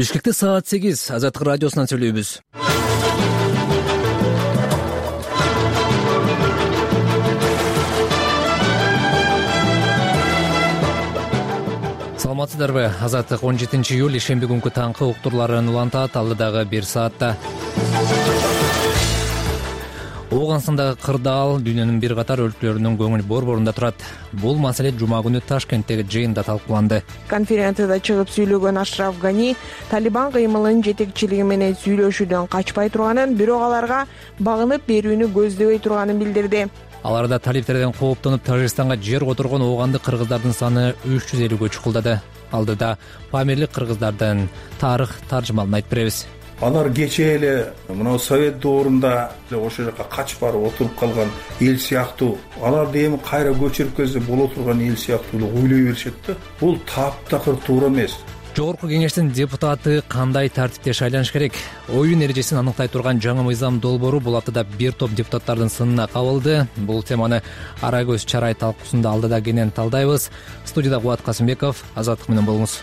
Бишкекте саат 8 Азаттык радиосунан сүйлөйбүз. Саламатсыздарбы? Азаттык 17-июль ишемби күнкү таңкы уктурларын улантат алдыдагы 1 саатта. Ооганстандагы кырдаал дүйнөнүн бир катар өлкөлөрүнүн көңүл борборунда турат. Бул маселе жума күнү Ташкенттеги жыйында талкууланды. Конференцияда чыгып сүйлөгөн Ашраф Гани Талибан кыймылынын жетекчилиги менен сүйлөшүүдөн качпай турганын, бирок аларга багынып берүүнү көздөбөй турганын билдирди. Аларда талиптерден кооптонуп Тажикстанга жер которгон оогандык кыргыздардын саны 350-гө чукулдады. Алдыда памирлик кыргыздардын тарых таржымалын айтып беребиз. Алар кечээ эле мына Совет доорунда ошол жака качып барып отуруп калган эл сыяктуу, аларды эми кайра көчүрүп келсе боло турган эл сыяктуу ойлой беришет да. Бул таптакыр туура эмес. Жогорку кеңештин депутаты кандай тартипте шайланыш керек? Оюн эрежесин аныктай турган жаңы мыйзам долбоору бул аптада бир топ депутаттардын сынына кабылды. Бул теманы ара көз чарай талкуусунда алдыда кенен талдайбыз. Студияда Кубат Касымбеков, Азаттык менен болуңуз.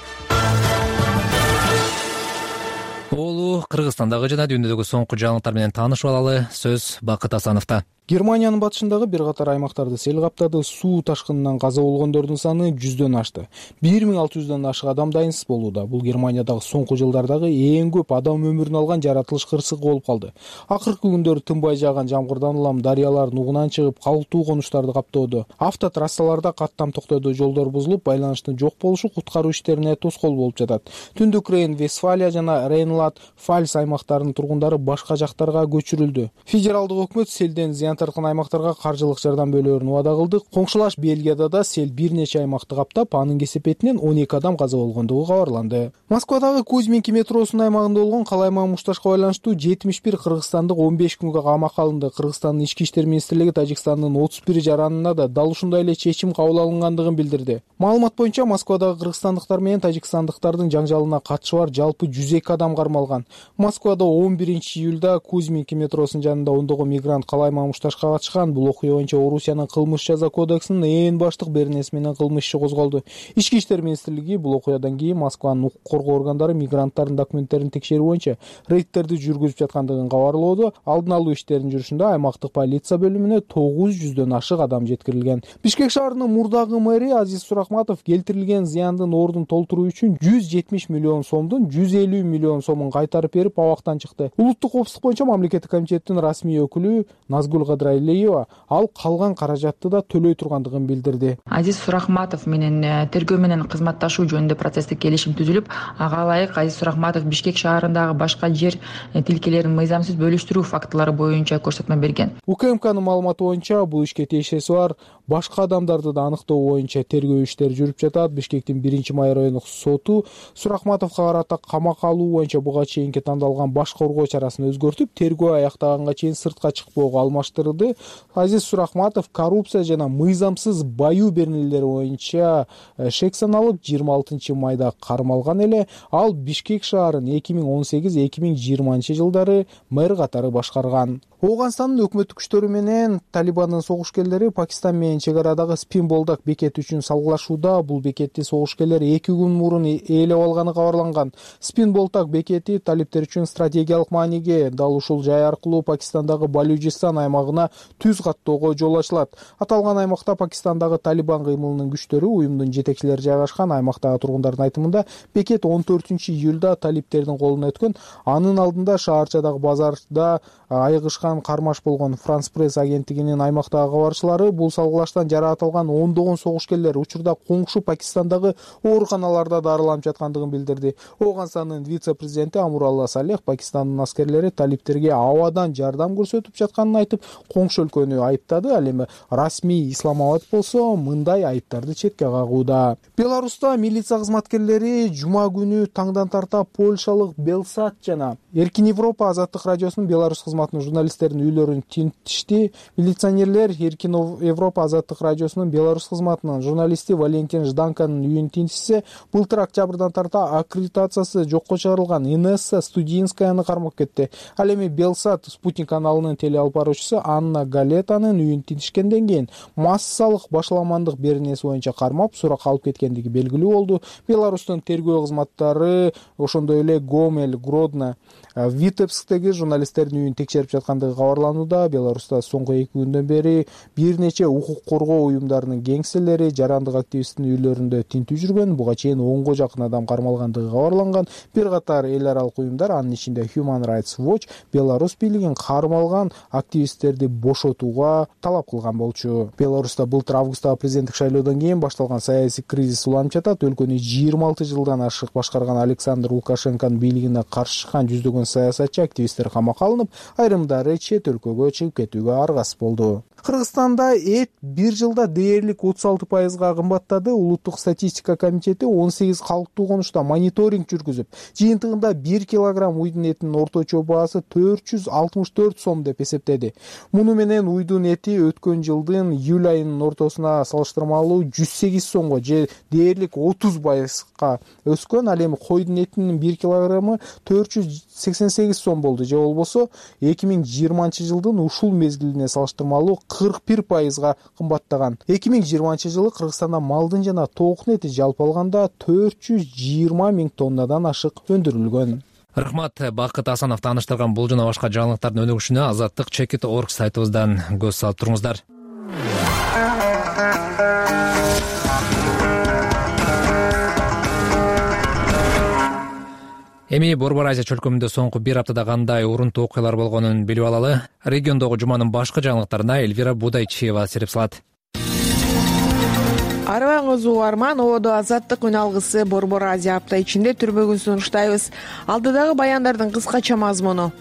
Оолу Кыргызстандагы жана дүйнөдөгү соңку жаңылыктар менен таанышып алалы. Сөз Бакыт Асановдо. Германиянын батышындагы бир катар аймактарды сел каптады. Суу ташкынынан каза болгондордун саны 100дөн ашты. 1600дөн ашык адам дайынсыз болууда. Бул Германиядагы соңку жылдардагы эң көп адам өмүрүн алган жаратылыш кырсыгы болуп калды. Акыркы күндөрү тынбай жааган жамгырдан улам дарыялар нугунан чыгып, калктуу конуштарды каптоодо. Автотрассаларда каттам токтоду, жолдор бузулуп, байланыштын жок болушу куткаруу иштерине тоскоол болуп жатат. Түндүк Рейн-Вестфалия жана Рейнланд-Фальц аймактарынын тургундары башка жактарга көчүрүлдү. Федералдык өкмөт селден зыян тарткан аймактарга каржылык жардам берүүнү убада кылды. Коңшулаш Бельгияда да сел бир нече аймакты каптап, анын кесепетинен 12 адам каза болгондугу кабарланды. Москвадагы Кузьминки метросунун аймагында болгон калайман мушташка байланыштуу 71 кыргызстандык 15 күнгө камакка алынды. Кыргызстандын ички иштер министрлиги Тажикстандын 31 жаранына да дал ушундай эле чечим кабыл алынгандыгын билдирди. Маалымат боюнча Москвадагы кыргызстандыктар менен тажикстандыктардын жаңжалына катышы бар жалпы 102 адам кармалган. Москвада 11-июлда Кузьминки метросунун жанында ондогон мигрант калайман мушташка катышкан. Бул окуя боюнча Орусиянын кылмыш жаза кодексинин ээн баштык беренеси менен кылмыш иши козголду. Ички иштер министрлиги бул окуядан кийин Москванын укук коргоо органдары мигранттардын документтерин текшерүү боюнча рейдтерди жүргүзүп жаткандыгын кабарлоодо. Алдын алуу иштеринин жүрүшүндө аймактык полиция бөлүмүнө 900дөн ашык адам жеткирилген. Бишкек шаарынын мурдагы мэри Азиз Сурахматов келтирилген зыяндын ордун толтуруу үчүн 170 миллион сомдун 150 миллион сомун кайтарып берип абактан чыкты. Улуттук коопсуздук боюнча мамлекеттик комитеттин расмий өкүлү Назгул Кадралиева ал калган каражатты да төлөй тургандыгын билдирди. Азиз Сурахматов менен тергөө менен кызматташуу жөнүндө процесстик келишим түзүлүп, ага ылайык Азиз Сурахматов Бишкек шаарындагы башка жер тилкелерин мыйзамсыз бөлүштүрүү фактылары боюнча көрсөтмө берген. УКМКнын маалыматы боюнча бул ишке тиешеси бар башка адамдарды да аныктоо боюнча тергөө иштери жүрүп жатат. Бишкектин 1-май райондук соту Сурахматовго карата камакка алуу боюнча буга чейинки тандалган баш коргоо чарасын өзгөртүп, тергөө аяктаганга чейин сыртка чыкпоого алмаштырды. Азиз Сурахматов коррупция жана мыйзамсыз баюу беренелери боюнча шек саналып 26-майда кармалган эле. Ал Бишкек шаарын 2018-2020 жылдары мэр катары башкарган. Ооганстандын өкмөттүк күчтөрү менен Талибандын согушкерлери Пакистан менен чек арадагы Спин-Болдак бекети үчүн салгылашууда. Бул бекетти согушкерлер 2 күн мурун ээлеп алганы кабарланган. Спин-Болдак бекети талиптер үчүн стратегиялык мааниге. Дал ушул жай аркылуу Пакистандагы Балючистан аймагына түз каттоого жол ачылат. Аталган аймакта Пакистандагы Талибан кыймылынын күчтөрү, уюмдун жетекчилери жайгашкан. Аймактагы тургундардын айтымында бекет 14-июлда талиптердин колуна өткөн. Анын алдында шаарчадагы базарда айыгышкан кармаш болгон. Франс пресс агенттигинин аймактагы кабарчылары бул салгылаштан жараатылган ондогон согушкерлер учурда коңшу Пакистандагы ооруканаларда дарыланып жаткандыгын билдирди. Ооганстандын вице-президенти Амуралла Салех Пакистандын аскерлери талиптерге абадан жардам көрсөтүп жатканын айтып, коңшу өлкөнү айыптады. Ал эми расмий Исламабад болсо мындай айыптарды четке кагууда. Беларуста милиция кызматкерлери жума күнү таңдан тарта польшалык Белсат жана Эркин Европа азаттык радиосунун Беларусь кызматынын журналисттеринин үйлөрүн тинтишти. Милиционерлер Эркин Европа азаттык радиосунун Беларусь кызматынын журналисти Валентин Жданканын үйүн тинтишсе, былтыр октябрдан тарта аккредитациясы жокко чыгарылган Инесса Студинскаяны кармап кетти. Ал эми Белсат Спутник каналынын теле алып баруучусу Анна Галетанын үйүн тинтишкенден кийин массалык башаламандык беренеси боюнча кармап суракка алып кеткендиги белгилүү болду. Беларустун тергөө кызматтары ошондой эле Гомель, Гродно, Витебсктеги журналисттердин үйүн текшерип жаткандыгы кабарланууда. Беларуста соңку 2 күндөн бери бир нече укук коргоо уюмдарынын кеңселери, жарандык активисттин үйлөрүндө тинтүү жүргөн. Буга чейин 10го жакын адам кармалгандыгы кабарланган. Бир катар эл аралык уюмдар, анын ичинде Human Rights Watch, Беларусь бийлигин кармалган активисттерди бошотууга талап кылган болчу. Беларуста былтыр августтагы президенттик шайлоодон кийин башталган саясий кризис уланып жатат. Өлкөнү 26 жылдан ашык башкарган Александр Лукашенконун бийлигине каршы чыккан жүздөгөн саясатчы активисттер камакка алынып, айрымдары чет өлкөгө чыгып кетүүгө аргасыз болду. Кыргызстанда эт бир жылда дээрлик 36%га кымбаттады. Улуттук статистика комитети 18 калктуу конушта мониторинг жүргүзүп, жыйынтыгында 1 килограмм уйдун этинин орточо баасы 464 сом деп эсептеди. Муну менен уйдун эти өткөн жылдын июль айынын ортосуна салыштырмалуу 108 сомго же дээрлик 30%га өскөн. Ал эми койдун этинин 1 килограммы 488 сом болду, же болбосо 2020 жылдын ушул мезгилине салыштырмалуу 41%га кымбаттаган. 2020 жылы Кыргызстанда малдын жана тоокун эти жалпы алганда 420 000 тоннадан ашык өндүрүлгөн. Рахмат. Бакыт Асанов тааныштырган бул жана башка жаңылыктардын өнүгүшүнө azattik.org сайтыбыздан көз салып туруңуздар. Эми Борбор Азия чөлкөмүндө соңку бир аптада кандай урунтуу окуялар болгонун билип алалы. Региондогу жуманын башкы жаңылыктарына Эльвира Будайчиева сереп салат. Арыбаңыз угарман, ободо азаттык үн алгысы Борбор Азия апта ичинде түрбөгүн сунуштайбыз. Алдыдагы баяндардын кыскача мазмуну.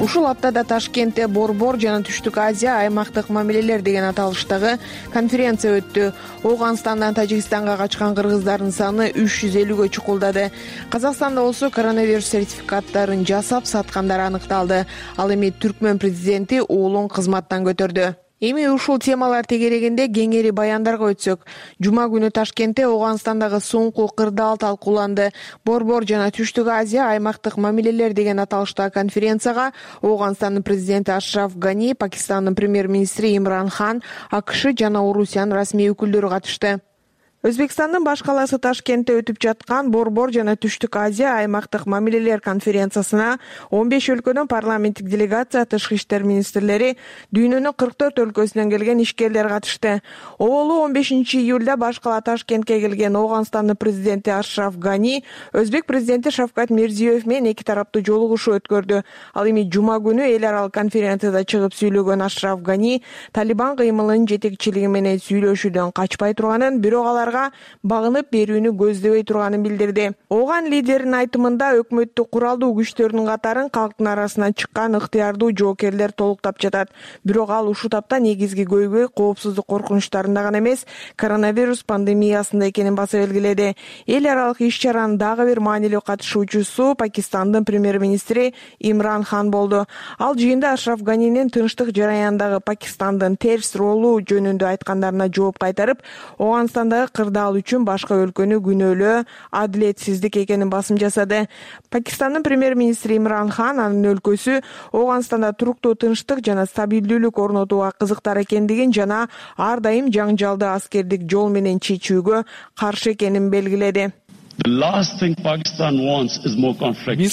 Ушул аптада Ташкентте Борбор жана Түштүк Азия аймактык мамилелер деген аталыштагы конференция өттү. Ооганстандан Тажикстанга качкан кыргыздардын саны 350гө чукулдады. Казакстанда болсо коронавирус сертификаттарын жасап саткандар аныкталды. Ал эми Түркмөн президенти уулун кызматтан көтөрдү. Эми ушул темалар тегерегинде кеңири баяндарга өтсөк, жума күнү Ташкентте Ооганстандагы соңку кырдаал талкууланды. Борбор жана Түштүк Азия аймактык мамилелер деген аталыштагы конференцияга Ооганстандын президенти Ашраф Гани, Пакистандын премьер-министри Имран Хан, АКШ жана Орусиянын расмий өкүлдөрү катышты. Өзбекстандын баш каласы Ташкентте өтүп жаткан Борбор жана Түштүк Азия аймактык мамилелер конференциясына 15 өлкөдөн парламенттик делегация, тышкы иштер министрлери, дүйнөнүн 44 өлкөсүнөн келген ишкерлер катышты. Оболу 15 июлда баш кала Ташкентке келген Ооганстандын президенти Ашраф Гани өзбек президенти Шавкат Мирзиёев менен эки тараптуу жолугушуу өткөрдү. Ал эми жума күнү эл аралык конференцияда чыгып сүйлөгөн Ашраф Гани Талибан кыймылынын жетекчилиги менен сүйлөшүүдөн качпай турганын, бирок алар багынып берүүнү көздөбөй турганын билдирди. Ооган лидердин айтымында өкмөттүк куралдуу күчтөрдүн катарын калктын арасынан чыккан ыктыярдуу жоокерлер толуктап жатат. Бирок ал ушул тапта негизги көйгөй коопсуздук коркунучтарында гана эмес, коронавирус пандемиясында экенин баса белгиледи. Эл аралык иш-чаранын дагы бир маанилүү катышуучусу Пакистандын премьер-министри Имран Хан болду. Ал жыйында Ашраф Ганинин тынчтык жараяндагы Пакистандын терс ролу жөнүндө айткандарына жооп кайтарып, Ооганстандагы кырдаал үчүн башка өлкөнү күнөөлөө адилетсиздик экенин басым жасады. Пакистандын премьер-министри Имран Хан анын өлкөсү Ооганстанда туруктуу тынчтык жана стабилдүүлүк орнотууга кызыктар экендигин жана ар дайым жаңжалды аскердик жол менен чечүүгө каршы экенин белгиледи. Биз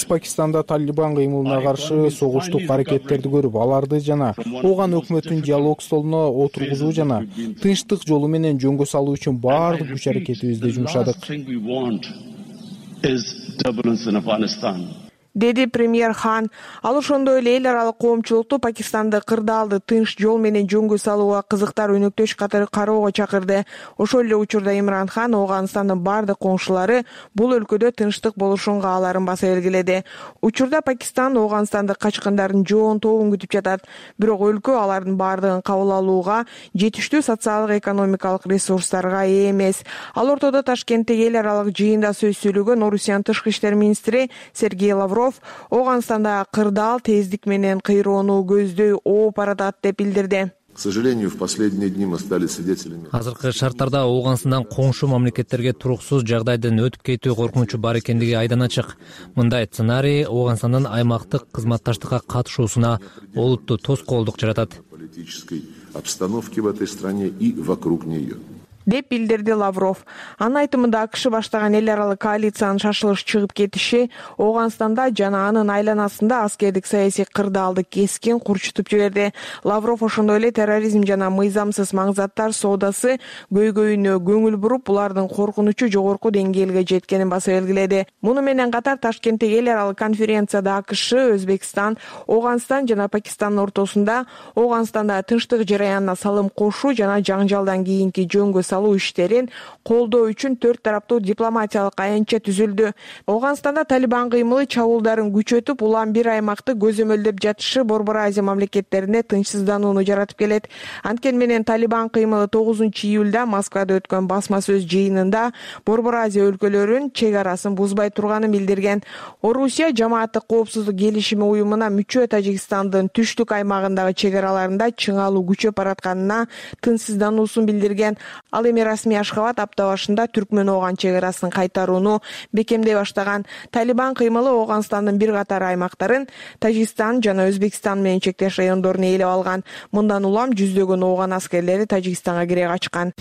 Пакистанда Талибан кыймылына каршы согуштук аракеттерди көрүп, аларды жана Ооган өкмөтүн диалог столуна отургузуу жана тынчтык жолу менен жөнгө салуу үчүн баардык күч аракетибизди жумшадык. деди премьер Хан. Ал ошондой эле эл аралык коомчулукту Пакистанды кырдаалды тынч жол менен жөнгө салууга кызыктар өнөктөш катары кароого чакырды. Ошол эле учурда Имран Хан Ооганстандын бардык коңшулары бул өлкөдө тынчтык болушун кааларын баса белгиледи. Учурда Пакистан Ооганстандык качкындардын жоон тобун күтүп жатат. Бирок өлкө алардын бардыгын кабыл алууга жетиштүү социалдык экономикалык ресурстарга ээ эмес. Ал ортодо Ташкенттеги эл аралык жыйында сөз сүйлөгөн Орусиянын тышкы иштер министри Сергей Лавров Ооганстанда кырдаал тездик менен кыйроону көздөй ооп баратат деп билдирди. К сожалению, в последние дни мы стали свидетелями. Азыркы шарттарда Ооганстандан коңшу мамлекеттерге туруксуз жагдайдын өтүп кетүү коркунучу бар экендиги айдан ачык. Мындай сценарий Ооганстандын аймактык кызматташтыкка катышуусуна олуттуу тоскоолдук жаратат. Политической обстановки в этой стране и вокруг нее. Деп билдирди Лавров. Анын айтымында АКШ баштаган эл аралык коалициянын шашылыш чыгып кетиши Ооганстанда жана анын айланасында аскердик саясий кырдаалды кескин курчутуп жиберди. Лавров ошондой эле терроризм жана мыйзамсыз маңзаттар соодасы көйгөйүнө көңүл буруп, булардын коркунучу жогорку деңгээлге жеткенин баса белгиледи. Муну менен катар Ташкенттеги эл аралык конференцияда АКШ, Өзбекстан, Ооганстан жана Пакистандын ортосунда Ооганстанда тынчтык жараянына салым кошуу жана жаңжалдан кийинки жөнгө иштерин колдоо үчүн төрт тараптуу дипломатиялык аянтча түзүлдү. Ооганстанда Талибан кыймылы чабуулдарын күчөтүп, улам бир аймакты көзөмөлдөп жатышы Борбор Азия мамлекеттеринде тынчсызданууну жаратып келет. Анткени менен Талибан кыймылы 9-июлда Москвада өткөн басма сөз жыйынында Борбор Азия өлкөлөрүнүн чек арасын бузбай турганын билдирген. Орусия жамааттык коопсуздук келишими уюмуна мүчө Тажикстандын түштүк аймагындагы чек араларында чыңалуу күчөп баратканына тынчсыздануусун билдирген. Ал эми расмий Ашхабад апта башында Түркмөн-Ооган чек арасын кайтарууну бекемдей баштаган. Талибан кыймылы Ооганстандын бир катар аймактарын Тажикстан жана Өзбекстан менен чектеш райондорун ээлеп алган. Мындан улам жүздөгөн Ооган аскерлери Тажикстанга кире качкан.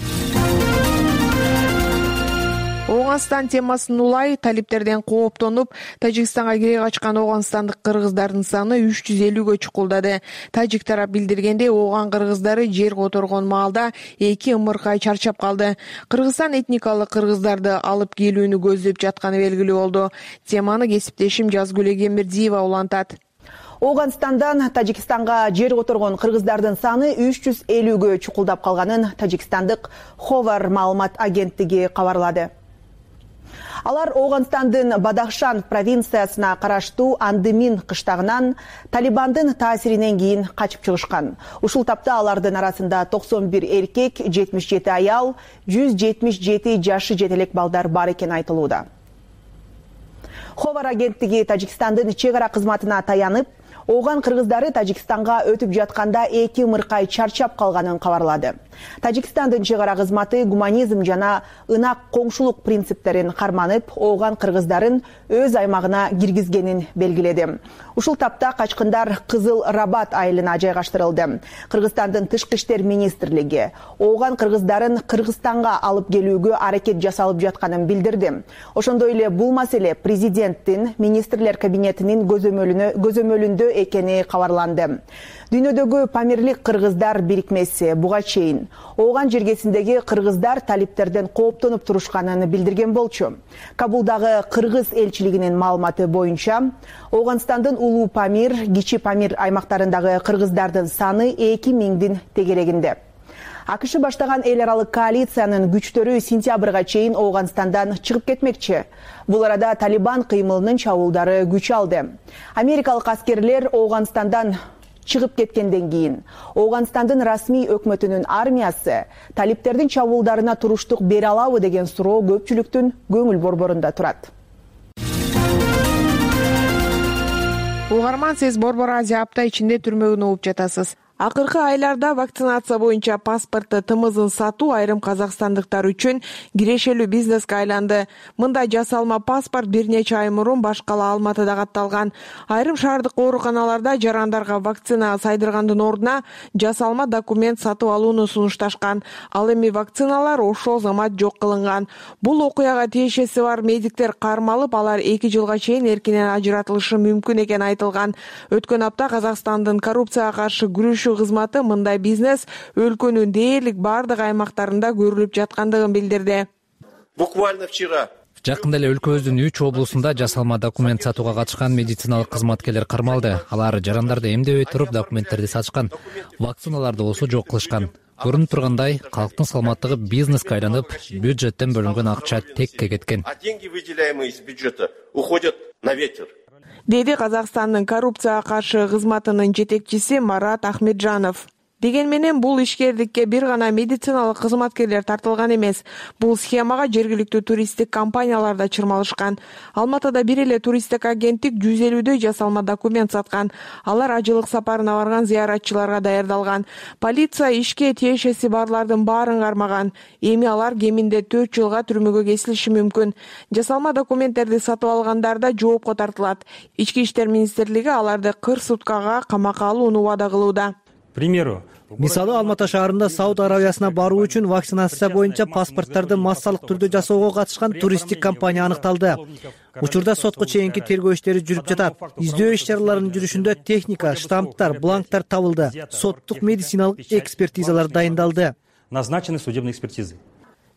Ооганстан темасын улай талиптерден кооптонуп, Тажикстанга кире качкан ооганстандык кыргыздардын саны 350гө чукулдады. Тажик тарап билдиргенде, Ооган кыргыздары жер которгон маалда 2 ымыркай чарчап калды. Кыргызстан этникалык кыргыздарды алып келүүнү көздөп жатканы белгилүү болду. Теманы кесиптешим Жазгүл Эгембердиева улантат. Ооганстандан Тажикстанга жер которгон кыргыздардын саны 350гө чукулдап калганын Тажикстандык Ховар маалымат агенттиги кабарлады. Алар Ооганстандын Бадахшан провинциясына караштуу Андымин кыштагынан Талибандын таасиринен кийин качып чыгышкан. Ушул тапта алардын арасында 91 эркек, 77 аял, 177 жашы жетелек балдар бар экени айтылууда. Ховар агенттиги Тажикстандын чек ара кызматына таянып, Ооган кыргыздары Тажикстанга өтүп жатканда 2 ымыркай чарчап калганын кабарлады. Тажикстандын чек ара кызматы гуманизм жана ынак коңшулук принциптерин карманып, Ооган кыргыздарын өз аймагына киргизгенин белгиледи. Ушул тапта качкындар Кызыл Рабат айылына жайгаштырылды. Кыргызстандын тышкы иштер министрлиги Ооган кыргыздарын Кыргызстанга алып келүүгө аракет жасалып жатканын билдирди. Ошондой эле бул маселе президенттин министрлер кабинетинин көзөмөлүндө экени кабарланды. Дүйнөдөгү памирлик кыргыздар бирикмеси буга чейин Ооган жергесиндеги кыргыздар талиптерден кооптонуп турушканын билдирген болчу. Кабулдагы кыргыз элчилигинин маалыматы боюнча, Ооганстандын Улуу Памир, Кичи Памир аймактарындагы кыргыздардын саны 2000дин тегерегинде. АКШ баштаган эл аралык коалициянын күчтөрү сентябрга чейин Ооганстандан чыгып кетмекчи. Бул арада Талибан кыймылынын чабуулдары күч алды. Америкалык аскерлер Ооганстандан чыгып кеткенден кийин Ооганстандын расмий өкмөтүнүн армиясы талиптердин чабуулдарына туруштук бере алабы деген суроо көпчүлүктүн көңүл борборунда турат. Угарман, сиз Борбор Азия апта ичинде түрмөгүн угуп жатасыз. Акыркы айларда вакцинация боюнча паспортту тымызын сатуу айрым казакстандыктар үчүн кирешелүү бизнеске айланды. Мындай жасалма паспорт бир нече ай мурун баш кала Алматыда катталган. Айрым шаардык ооруканаларда жарандарга вакцина сайдыргандын ордуна жасалма документ сатып алууну сунушташкан. Ал эми вакциналар ошол замат жок кылынган. Бул окуяга тиешеси бар медиктер кармалып, алар 2 жылга чейин эркинен ажыратылышы мүмкүн экени айтылган. Өткөн апта Казакстандын коррупцияга каршы күрөшүү кызматы мындай бизнес өлкөнүн дээрлик бардык аймактарында көрүлүп жаткандыгын билдирди. Буквально вчера в Жакында эле өлкөбүздүн 3 облусунда жасалма документ сатууга катышкан медициналык кызматкерлер кармалды. Алар жарандарды эмдебей туруп документтерди сатышкан, вакциналарды болсо жок кылышкан. Көрүнүп тургандай, калктын саламаттыгы бизнеске айланып, бюджеттен бөлүнгөн акча текке кеткен. А деньги, выделяемые из бюджета, уходят на ветер. Деди Казакстандын коррупцияга каршы кызматынын жетекчиси Марат Ахмеджанов. Деген менен бул ишкердикке бир гана медициналык кызматкерлер тартылган эмес. Бул схемага жергиликтүү туристтик компаниялар да чырмалышкан. Алматыда бир эле туристтик агенттик 150дөй жасалма документ саткан. Алар ажылык сапарына барган зыяратчыларга даярдалган. Полиция ишке тиешеси барлардын баарын кармаган. Эми алар кеминде 4 жылга түрмөгө кесилиши мүмкүн. Жасалма документтерди сатып алгандар да жоопко тартылат. Ички иштер министрлиги аларды 40 суткага камакка алууну убада кылууда. Мисалы, Алматы шаарында Сауд Арабиясына баруу үчүн вакцинация боюнча паспорттарды массалык түрдө жасоого катышкан туристтик компания аныкталды. Учурда сотко чейинки тергөө иштери жүрүп жатат. Издөө иш-чараларынын жүрүшүндө техника, штамптар, бланктар табылды. Соттук медициналык экспертизалар дайындалды. Назначены судебные экспертизы.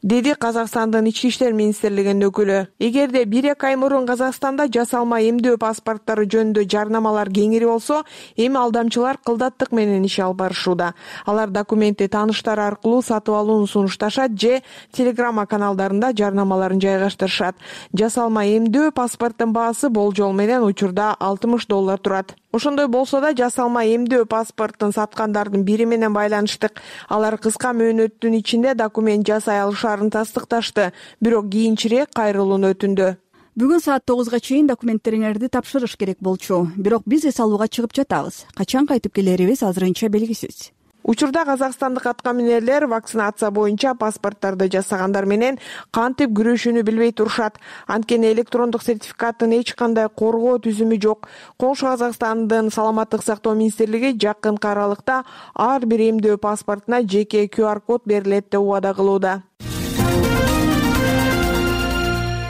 Деди Казакстандын ички иштер министрлигинин өкүлү. Эгерде 1-2 ай мурун Казакстанда жасалма эмдөө паспорттору жөнүндө жарнамалар кеңири болсо, эми алдамчылар кылдаттык менен иш алып барышууда. Алар документти тааныштар аркылуу сатып алууну сунушташат же телеграмма каналдарында жарнамаларын жайгаштырышат. Жасалма эмдөө паспорттун баасы болжол менен учурда $60 турат. Ошондой болсо да жасалма эмдөө паспортун саткандардын бири менен байланыштык. Алар кыска мөөнөттүн ичинде документ жасай алышарын тастыкташты, бирок кийинчерээк кайрылууну өтүндү. Бүгүн саат 9га чейин документтериңерди тапшырыш керек болчу. Бирок биз эс алууга чыгып жатабыз. Качан кайтып келерибиз азырынча белгисиз. Учурда казакстандык аткаминерлер вакцинация боюнча паспорттарды жасагандар менен кантип күрөшүүнү билбей турушат. Анткени электрондук сертификаттын эч кандай коргоо түзүмү жок. Коңшу Казакстандын саламаттык сактоо министрлиги жакынкы аралыкта ар бир эмдөө паспортуна жеке QR-код берилет деп убада кылууда.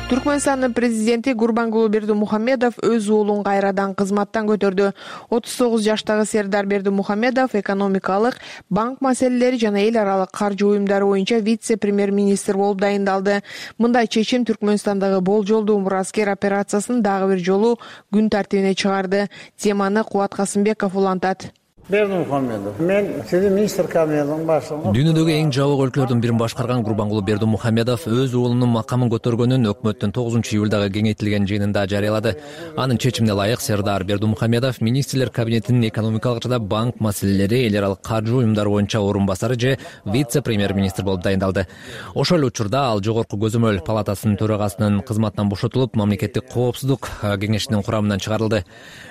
Түркмөнстандын президенти Гурбангулы Бердимухамедов өз уулун кайрадан кызматтан көтөрдү. 39 жаштагы Сердар Бердимухамедов экономикалык, банк маселелери жана эл аралык каржы уюмдары боюнча вице-премьер-министр болуп дайындалды. Мындай чечим Түркмөнстандагы болжолдуу мураскер операциясын дагы бир жолу күн тартибине чыгарды. Теманы Кубат Касымбеков улантат. Бердимухамедов, мен сиздин министр кабинетинин башчысы. Дүйнөдөгү эң жабык өлкөлөрдүн бирин башкарган Гурбангулы Бердимухамедов өз уулунун макамын көтөргөнүн өкмөттүн 9-июлдагы кеңейтилген жыйынында жарыялады. Анын чечимине ылайык Сердар Бердимухамедов министрлер кабинетинин экономикалык жана банк маселелери, эл аралык каржы уюмдары боюнча орун басары же вице-премьер-министр болуп дайындалды. Ошол эле учурда ал Жогорку көзөмөл палатасынын төрагасынын кызматынан бошотулуп, мамлекеттик коопсуздук кеңешинин курамынан чыгарылды.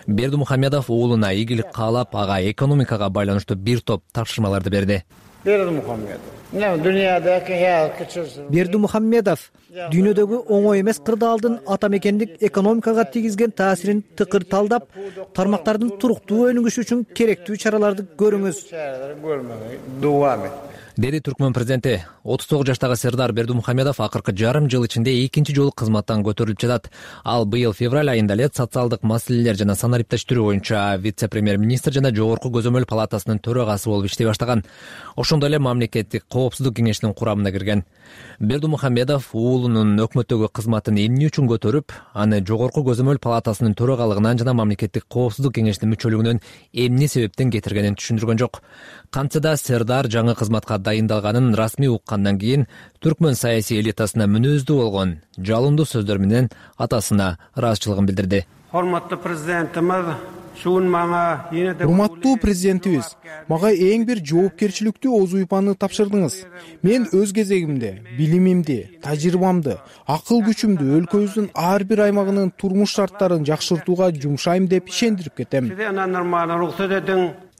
Бердимухамедов уулуна ийгилик каалап, ага экономикага байланыштуу бир топ тапшырмаларды берди. Бердимухамедов дүйнөдөгү оңой эмес кырдаалдын ата мекендик экономикага тийгизген таасирин тыкыр талдап, тармактардын туруктуу өнүгүшү үчүн керектүү чараларды көрүңүз, деди Түркмөн президенти. 39 жаштагы Сердар Бердимухамедов акыркы жарым жыл ичинде экинчи жолу кызматтан көтөрүлүп жатат. Ал быйыл февраль айында эле социалдык маселелер жана санариптештирүү боюнча вице-премьер-министр жана Жогорку көзөмөл палатасынын төрагасы болуп иштей баштаган. Ошондой эле мамлекеттик коопсуздук кеңешинин курамына кирген. Бердимухамедов уулунун өкмөттөгү кызматын эмне үчүн көтөрүп, аны Жогорку көзөмөл палатасынын төрагалыгынан жана мамлекеттик коопсуздук кеңешинин мүчөлүгүнөн эмне себептен кетиргенин түшүндүргөн жок. Кантса да Сердар жаңы кызматка дайындалганын расмий уккандан кийин түркмөн саясий элитасына мүнөздүү болгон жалындуу сөздөр менен атасына ыраазычылыгын билдирди. Урматтуу президентimiz, урматтуу президентибиз, мага эң бир жоопкерчиликтүү оз уйпаны тапшырдыңыз. Мен өз кезегимде билимимди, тажрыйбамды, акыл күчүмдү өлкөбүздүн ар бир аймагынын турмуш шарттарын жакшыртууга жумшайм деп ишендирип кетем,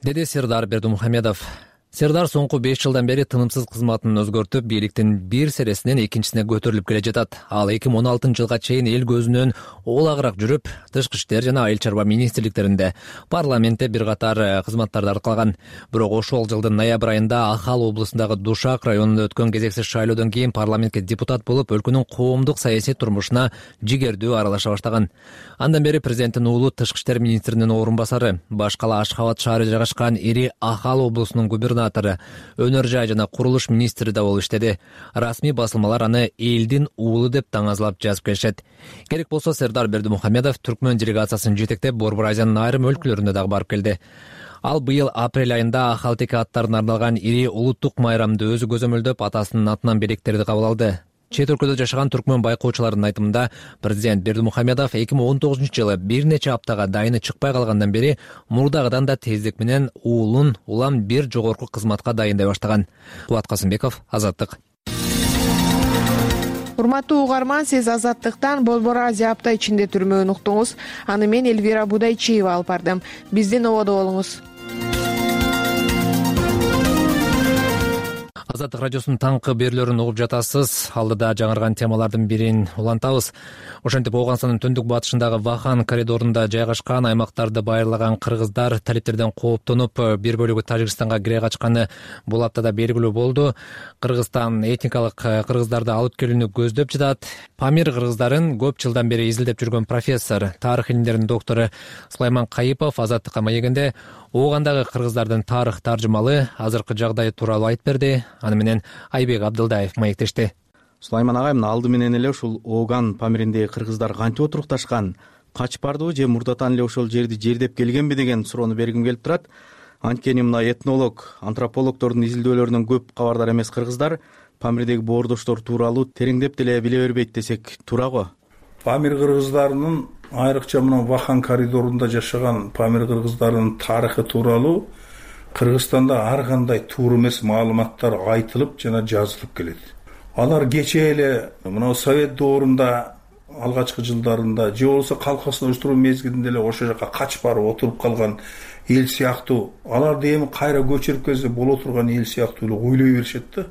деди Сердар Бердимухамедов. Сердар соңку 5 жылдан бери тынымсыз кызматын өзгөртүп, бийликтин бир сересинен экинчисине көтөрүлүп келе жатат. Ал 2016 жылга чейин эл көзүнөн олагыраак жүрүп, тышкы иштер жана айыл чарба министрликтеринде, парламентте бир катар кызматтарды аркалаган. Бирок ошол жылдын ноябрь айында Ахал облусундагы Душак районунда өткөн кезексиз шайлоодон кийин парламентке депутат болуп, өлкөнүн коомдук саясий турмушуна жигердүү аралаша баштаган. Андан бери президенттин уулу тышкы иштер министринин орун басары, башкала Ашхабад шаары жайгашкан ири Ахал облусунун губернатору губернатору, өнөр жай жана курулуш министри да болуп иштеди. Расмий басылмалар аны элдин уулу деп таңазлап жазып келишет. Керек болсо Сердар Бердимухамедов Түркмөн делегациясын жетектеп Борбор Азиянын айрым өлкөлөрүнө дагы барып келди. Ал быйыл апрель айында Ахалтеке аттарына арналган ири улуттук майрамды өзү көзөмөлдөп, атасынын атынан белектерди кабыл алды. Чет өлкөдө жашаган түркмөн байкоочуларынын айтымында, президент Бердимухамедов 2019-жылы бир нече аптага дайыны чыкпай калгандан бери мурдагыдан да тездик менен уулун улам бир жогорку кызматка дайындай баштаган. Кубат Касымбеков, Азаттык. Урматтуу угарман, сиз Азаттыктан Борбор Азия апта ичинде түрмөгүн уктуңуз. Аны мен Элвира Будайчиева алып бардым. Биздин ободо болуңуз. Азаттык радиосунун таңкы берүүлөрүн угуп жатасыз. Алдыда жаңырган темалардын бирин улантабыз. Ошентип Ооганстандын төндүк батышындагы Вахан коридорунда жайгашкан аймактарды байырлаган кыргыздар талиптерден кооптонуп, бир бөлүгү Тажикстанга кире качканы бул аптада белгилүү болду. Кыргызстан этникалык кыргыздарды алып келүүнү көздөп жатат. Памир кыргыздарын көп жылдан бери изилдеп жүргөн профессор, тарых илимдеринин доктору Сулайман Кайыпов Азаттыкка маегинде Оогандагы кыргыздардын тарых таржымалы азыркы жагдай тууралуу айтып берди. Аны менен Айбек Абдылдаев маектешти. Сулайман агай, мына алды менен эле ушул Ооган Памириндеги кыргыздар кантип отурукташкан, качып бардыбы же мурдатан эле ошол жерди жердеп келгенби деген суроону бергим келип турат. Анткени мына этнолог, антропологдордун изилдөөлөрүнөн көп кабардар эмес кыргыздар Памирдеги боордоштор тууралуу тереңдеп деле биле бербейт десек туура. Памир кыргыздарынын, айрыкча мына Вахан коридорунда жашаган Памир кыргыздарынын тарыхы тууралуу Кыргызстанда ар кандай туура эмес маалыматтар айтылып жана жазылып келет. Алар кечээ эле мына Совет доорунда алгачкы жылдарында же болбосо колхоздоштуруу мезгилинде эле ошол жака качып барып отуруп калган эл сыяктуу, аларды эми кайра көчүрүп келсе боло турган эл сыяктуу эле ойлой беришет да.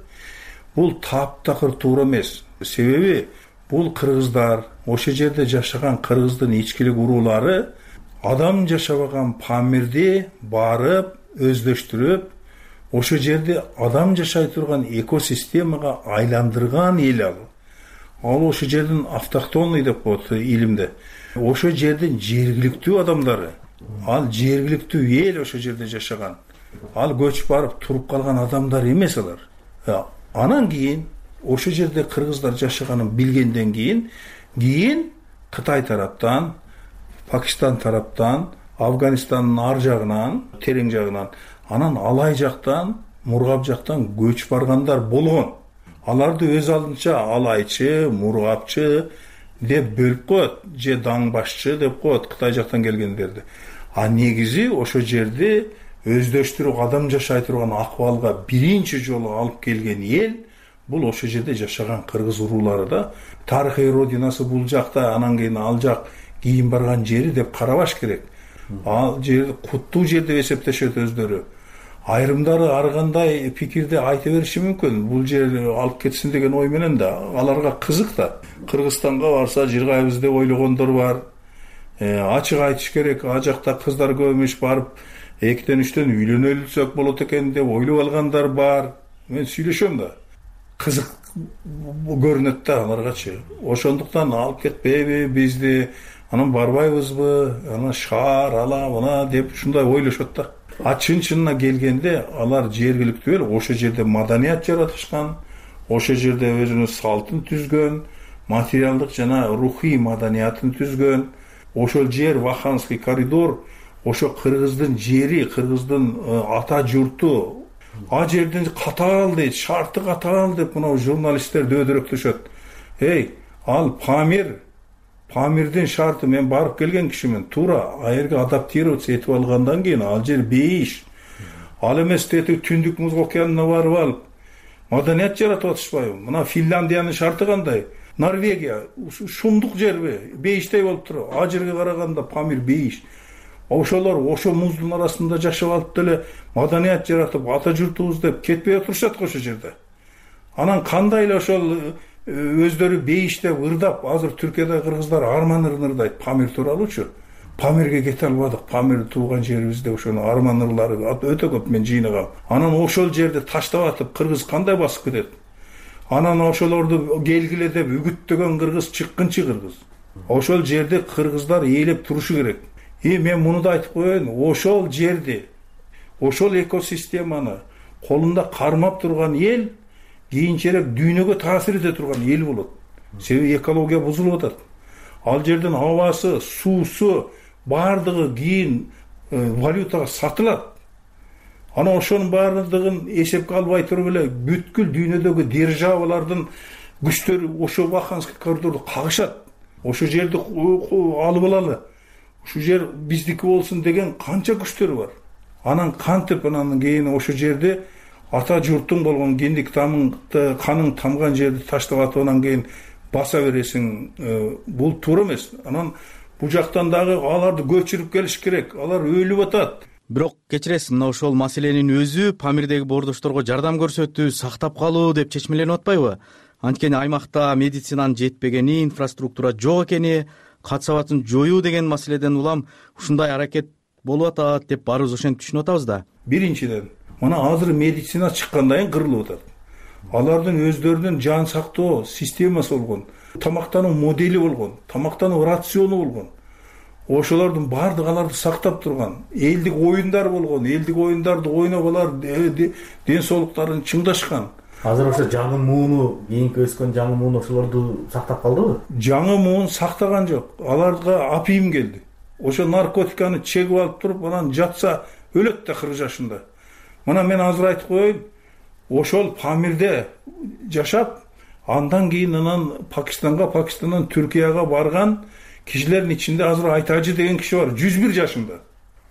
Бул таптакыр туура эмес. Себеби бул кыргыздар, ошол жерде жашаган кыргыздын ичкилик уруулары адам жашабаган Памирди барып өздөштүрүп, ошол жерде адам жашай турган экосистемага айландырган эл ал. Ал ошол жердин автохтонный деп коет илимде. Ошол жердин жергиликтүү адамдары, ал жергиликтүү эл ошол жерде жашаган. Ал көчүп барып туруп калган адамдар эмес алар. Анан кийин ошол жерде кыргыздар жашаганын билгенден кийин Кытай тараптан, Пакистан тараптан, Афганистандын ар жагынан, терең жагынан, анан Алай жактан, Мургап жактан көчүп баргандар болгон. Аларды өз алдынча алайчы, мургапчы деп бөлүп коет, же даңбашчы деп коет Кытай жактан келгендерди. А негизи ошол жерде өздөштүрүп адам жашай турган акыбалга биринчи жолу алып келген эл бул ошол жерде жашаган кыргыз уруулары да. Тарыхый родинасы бул жакта, анан кийин ал жак кийин барган жери деп карабаш керек. Ал жер куттуу жер деп эсептешет өздөрү. Айрымдары ар кандай пикирди айта бериши мүмкүн. Бул жер алып кетсин деген ой менен да, аларга кызык да. Кыргызстанга барса жыргайбыз деп ойлогондор бар. Ачык айтыш керек, а жакта кыздар көп эмес, барып 2-3 үйлөнөлүсөк болот экен деп ойлоп алгандар бар. Мен сүйлөшөм да. Кызык көрүнөт да аларгачы. Ошондуктан алып кетпейби бизди, анан барбайбызбы, анан шаар ала мына деп ушундай ойлошот да. А чын-чынына келгенде алар жергиликтүү эл, ошол жерде маданият жаратышкан, ошол жерде өзүнүн салтын түзгөн, материалдык жана рухий маданиятын түзгөн. Ошол жер Ваханский коридор, ошо кыргыздын жери, кыргыздын ата журту. А жерден катаал дейт, шарты катаал деп мына журналисттер дөдөрөктөшөт. Ал Памирдин шарты, мен барып келген кишимен, туура аерге адаптироваться этип алгандан кийин ал жер бейиш. Ал эмес Түндүк Муз океанына барып алып маданият жаратып атышпайбы? Мына Финляндиянын шарты кандай? Норвегия шумдук жерби? Бейиштей болуп туруп. А жерге караганда Памир бейиш. Ошолор ошо муздун арасында жашап алып деле маданият жаратып, ата журтубуз деп кетпей отурушат ошол жерде. Анан кандай эле ошол өздөрү бейиштеп ырдап, азыр Түркияда кыргыздар арман ырдайт Памир тууралуучу. Памирге кете албадык, Памир тууган жерибизде ошонун арман ырлары өтө көп мен жыйнагам. Анан ошол жерди таштап атып кыргыз кандай басып кетет? Анан ошолорду келгиле деп үгүттөгөн кыргыз чыккынчы кыргыз. Ошол жерде кыргыздар ээлеп турушу керек. Мен муну да айтып коеюн, ошол жерди, ошол экосистеманы, колунда кармап турган эл кийинчерээк дүйнөгө таасир эте турган эл болот. Себеби экология бузулуп атат. Ал жердин абасы, суусу баардыгы кийин валютага сатылат. Ана ошонун баардыгын эсепке албай туруп эле бүткүл дүйнөдөгү державалардын күчтөрү ошо Баханский коридорду кагышат. Ошо жерди алып алалы, ушул жер биздики болсун деген канча күчтөр бар. Анан кантип анан кийин ошо жерди ата журттун болгон кендик тамыңды каның тамган жерди таштап атып анан кийин баса бересиң, бул туура эмес. Анан бул жактан дагы аларды көчүрүп келиш керек. Алар өлүп атат. Бирок кечиресиз, мына ошол маселенин өзү Памирдеги боордошторго жардам көрсөтүү, сактап калуу деп чечмеленип атпайбы? Анткени аймакта медицинанын жетпегени, инфраструктура жок экени, кат сабатын жоюу деген маселеден улам ушундай аракет болуп атат деп баарыбыз ошентип түшүнүп атабыз да. Биринчиден, мына азыр медицина чыккандан кийин кырылып атат. Алардын өздөрүнүн жан сактоо системасы болгон, тамактануу модели болгон, тамактануу рациону болгон. Ошолордун баардыгы аларды сактап турган. Элдик оюндар болгон, элдик оюндарды ойноп алар ден соолуктарын чыңдашкан. Азыр ошо жаңы мууну, кийинки өскөн жаңы муун ошолорду сактап калдыбы? Жаңы муун сактаган жок. Аларга апийим келди. Ошо наркотиканы чегип алып туруп, анан жатса өлөт да 40 жашында. Мына мен азыр айтып коеюн, ошол Памирде жашап, андан кийин анан Пакистандан Түркияга барган кишилердин ичинде азыр Айтажы деген киши бар, 101 жашында.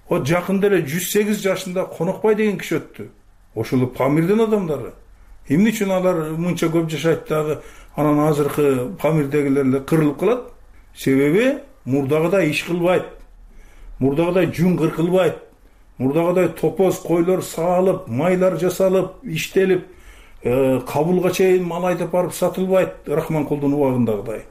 О жакында эле 108 жашында Конокбай деген киши өттү. Ошол Памирдин адамдары. Эмне үчүн алар мынча көп жашайт дагы, анан азыркы Памирдегилер эле кырылып калат? Себеби мурдагыдай иш кылбайт. Мурдагыдай жун кыркылбайт. Мурдагыдай топоз койлор саалып, майлар жасалып, иштелип, кабылга чейин мал айдап барып сатылбайт Рахманкулдун убагындагыдай.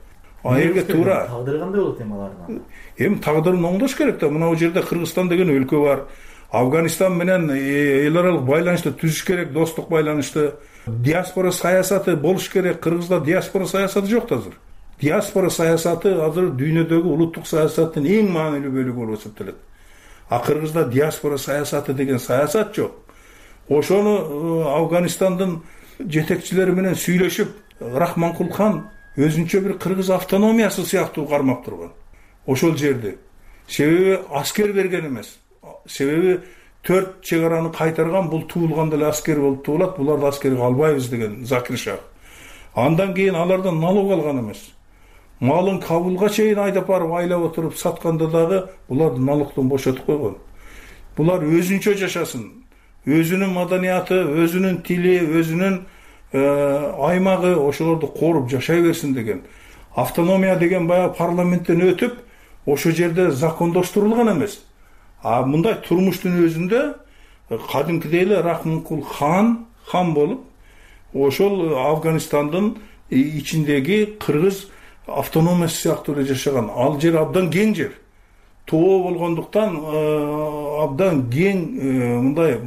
Аерге туура. Тагдыры кандай болот алардын? Эми тагдырын оңдош керек да. Мына бул жерде Кыргызстан деген өлкө бар. Афганистан менен эл аралык байланышты түзүш керек, достук байланышты. Диаспора саясаты болуш керек. Кыргызда диаспора саясаты жок азыр. Диаспора саясаты азыр дүйнөдөгү улуттук саясаттын эң маанилүү бөлүгү болуп эсептелет. А Кыргызда диаспора саясаты деген саясат жок. Ошону Афганистандын жетекчилери менен сүйлөшүп, Рахманкул хан өзүнчө бир кыргыз автономиясы сыяктуу кармап турган. Ошол жерди. Себеби аскер берген эмес. Себеби 4 чегараны кайтарган, бул туулганда эле аскер болуп туулат, буларды аскерге албайбыз деген Закир Шах. Андан кийин алардан налог алган эмес. Малын Кабулга чейин айдап барып айлап отуруп сатканда дагы буларды налогдон бошотуп койгон. Булар өзүнчө жашасын. Өзүнүн маданияты, өзүнүн тили, өзүнүн аймагы ошолорду коруп жашай берсин деген. Автономия деген баягы парламенттен өтүп, ошо жерде закондоштурулган эмес. А мындай турмуштун өзүндө кадимкидей эле Рахманкул хан болуп, ошол Афганистандын ичиндеги кыргыз автономиясы сыяктуу эле жашаган. Ал жер абдан кең жер. Тоо болгондуктан абдан кең мындай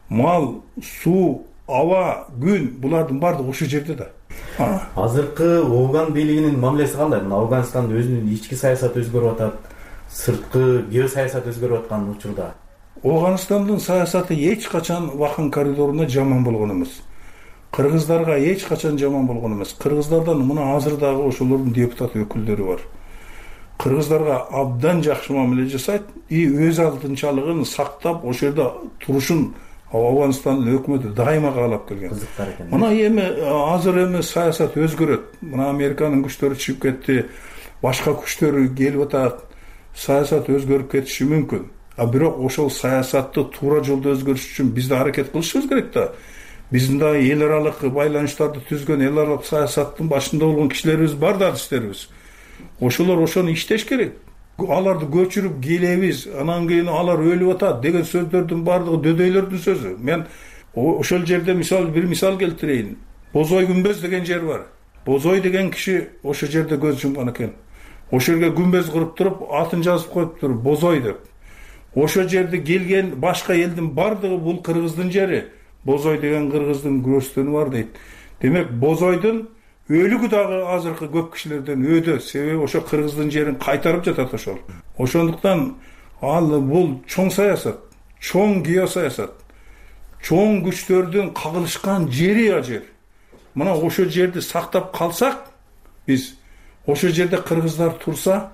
мал, суу, аба, күн булардын баардыгы ошол жерде да. Азыркы Афган бийлигинин мамилеси кандай? Афганистандын өзүнүн ички саясаты өзгөрүп атат, сырткы геосаясат өзгөрүп аткан учурда. Афганистандын саясаты эч качан Вахан коридоруна жаман болгон эмес. Кыргыздарга эч качан жаман болгон эмес. Кыргыздардан мына азыр дагы ошолордун депутат өкүлдөрү бар. Кыргыздарга абдан жакшы мамиле жасайт и өз алдынчалыгын сактап, ошол жерде турушун Афганстандын өкмөтү дайыма каалап келген. Мына эми азыр саясат өзгөрөт. Мына Американын күчтөрү чыгып кетти, башка күчтөр келип атат. Саясат өзгөрүп кетиши мүмкүн. А бирок ошол саясатты туура жолдо өзгөрүш үчүн биз да аракет кылышыбыз керек да. Биздин да эл аралык байланыштарды түзгөн, эл аралык саясаттын башында болгон кишилерибиз бар да, адистерибиз. Ошолор ошону иштеш керек. Аларды көчүрүп келебиз, анан кийин алар өлүп атат деген сөздөрдүн баардыгы дөдөйлөрдүн сөзү. Мен ошол жерде бир мисал келтирейин. Бозой күмбөз деген жер бар. Бозой деген киши ошол жерде көз жумган экен. Ошол жерге күмбөз куруп туруп, атын жазып коюптур, Бозой деп. Ошол жерде келген башка элдин баардыгы бул кыргыздын жери. Бозой деген кыргыздын көрөстөнү бар дейт. Демек Бозойдун өлүгү дагы азыркы көп кишилерден өдө. Себеби ошо кыргыздын жерин кайтарып жатат ошол. Ошондуктан ал бул чоң саясат, чоң геосаясат. чоң күчтөрдүн кагылышкан жери ал жер. Мына ошол жерди сактап калсак, биз ошол жерде кыргыздар турса,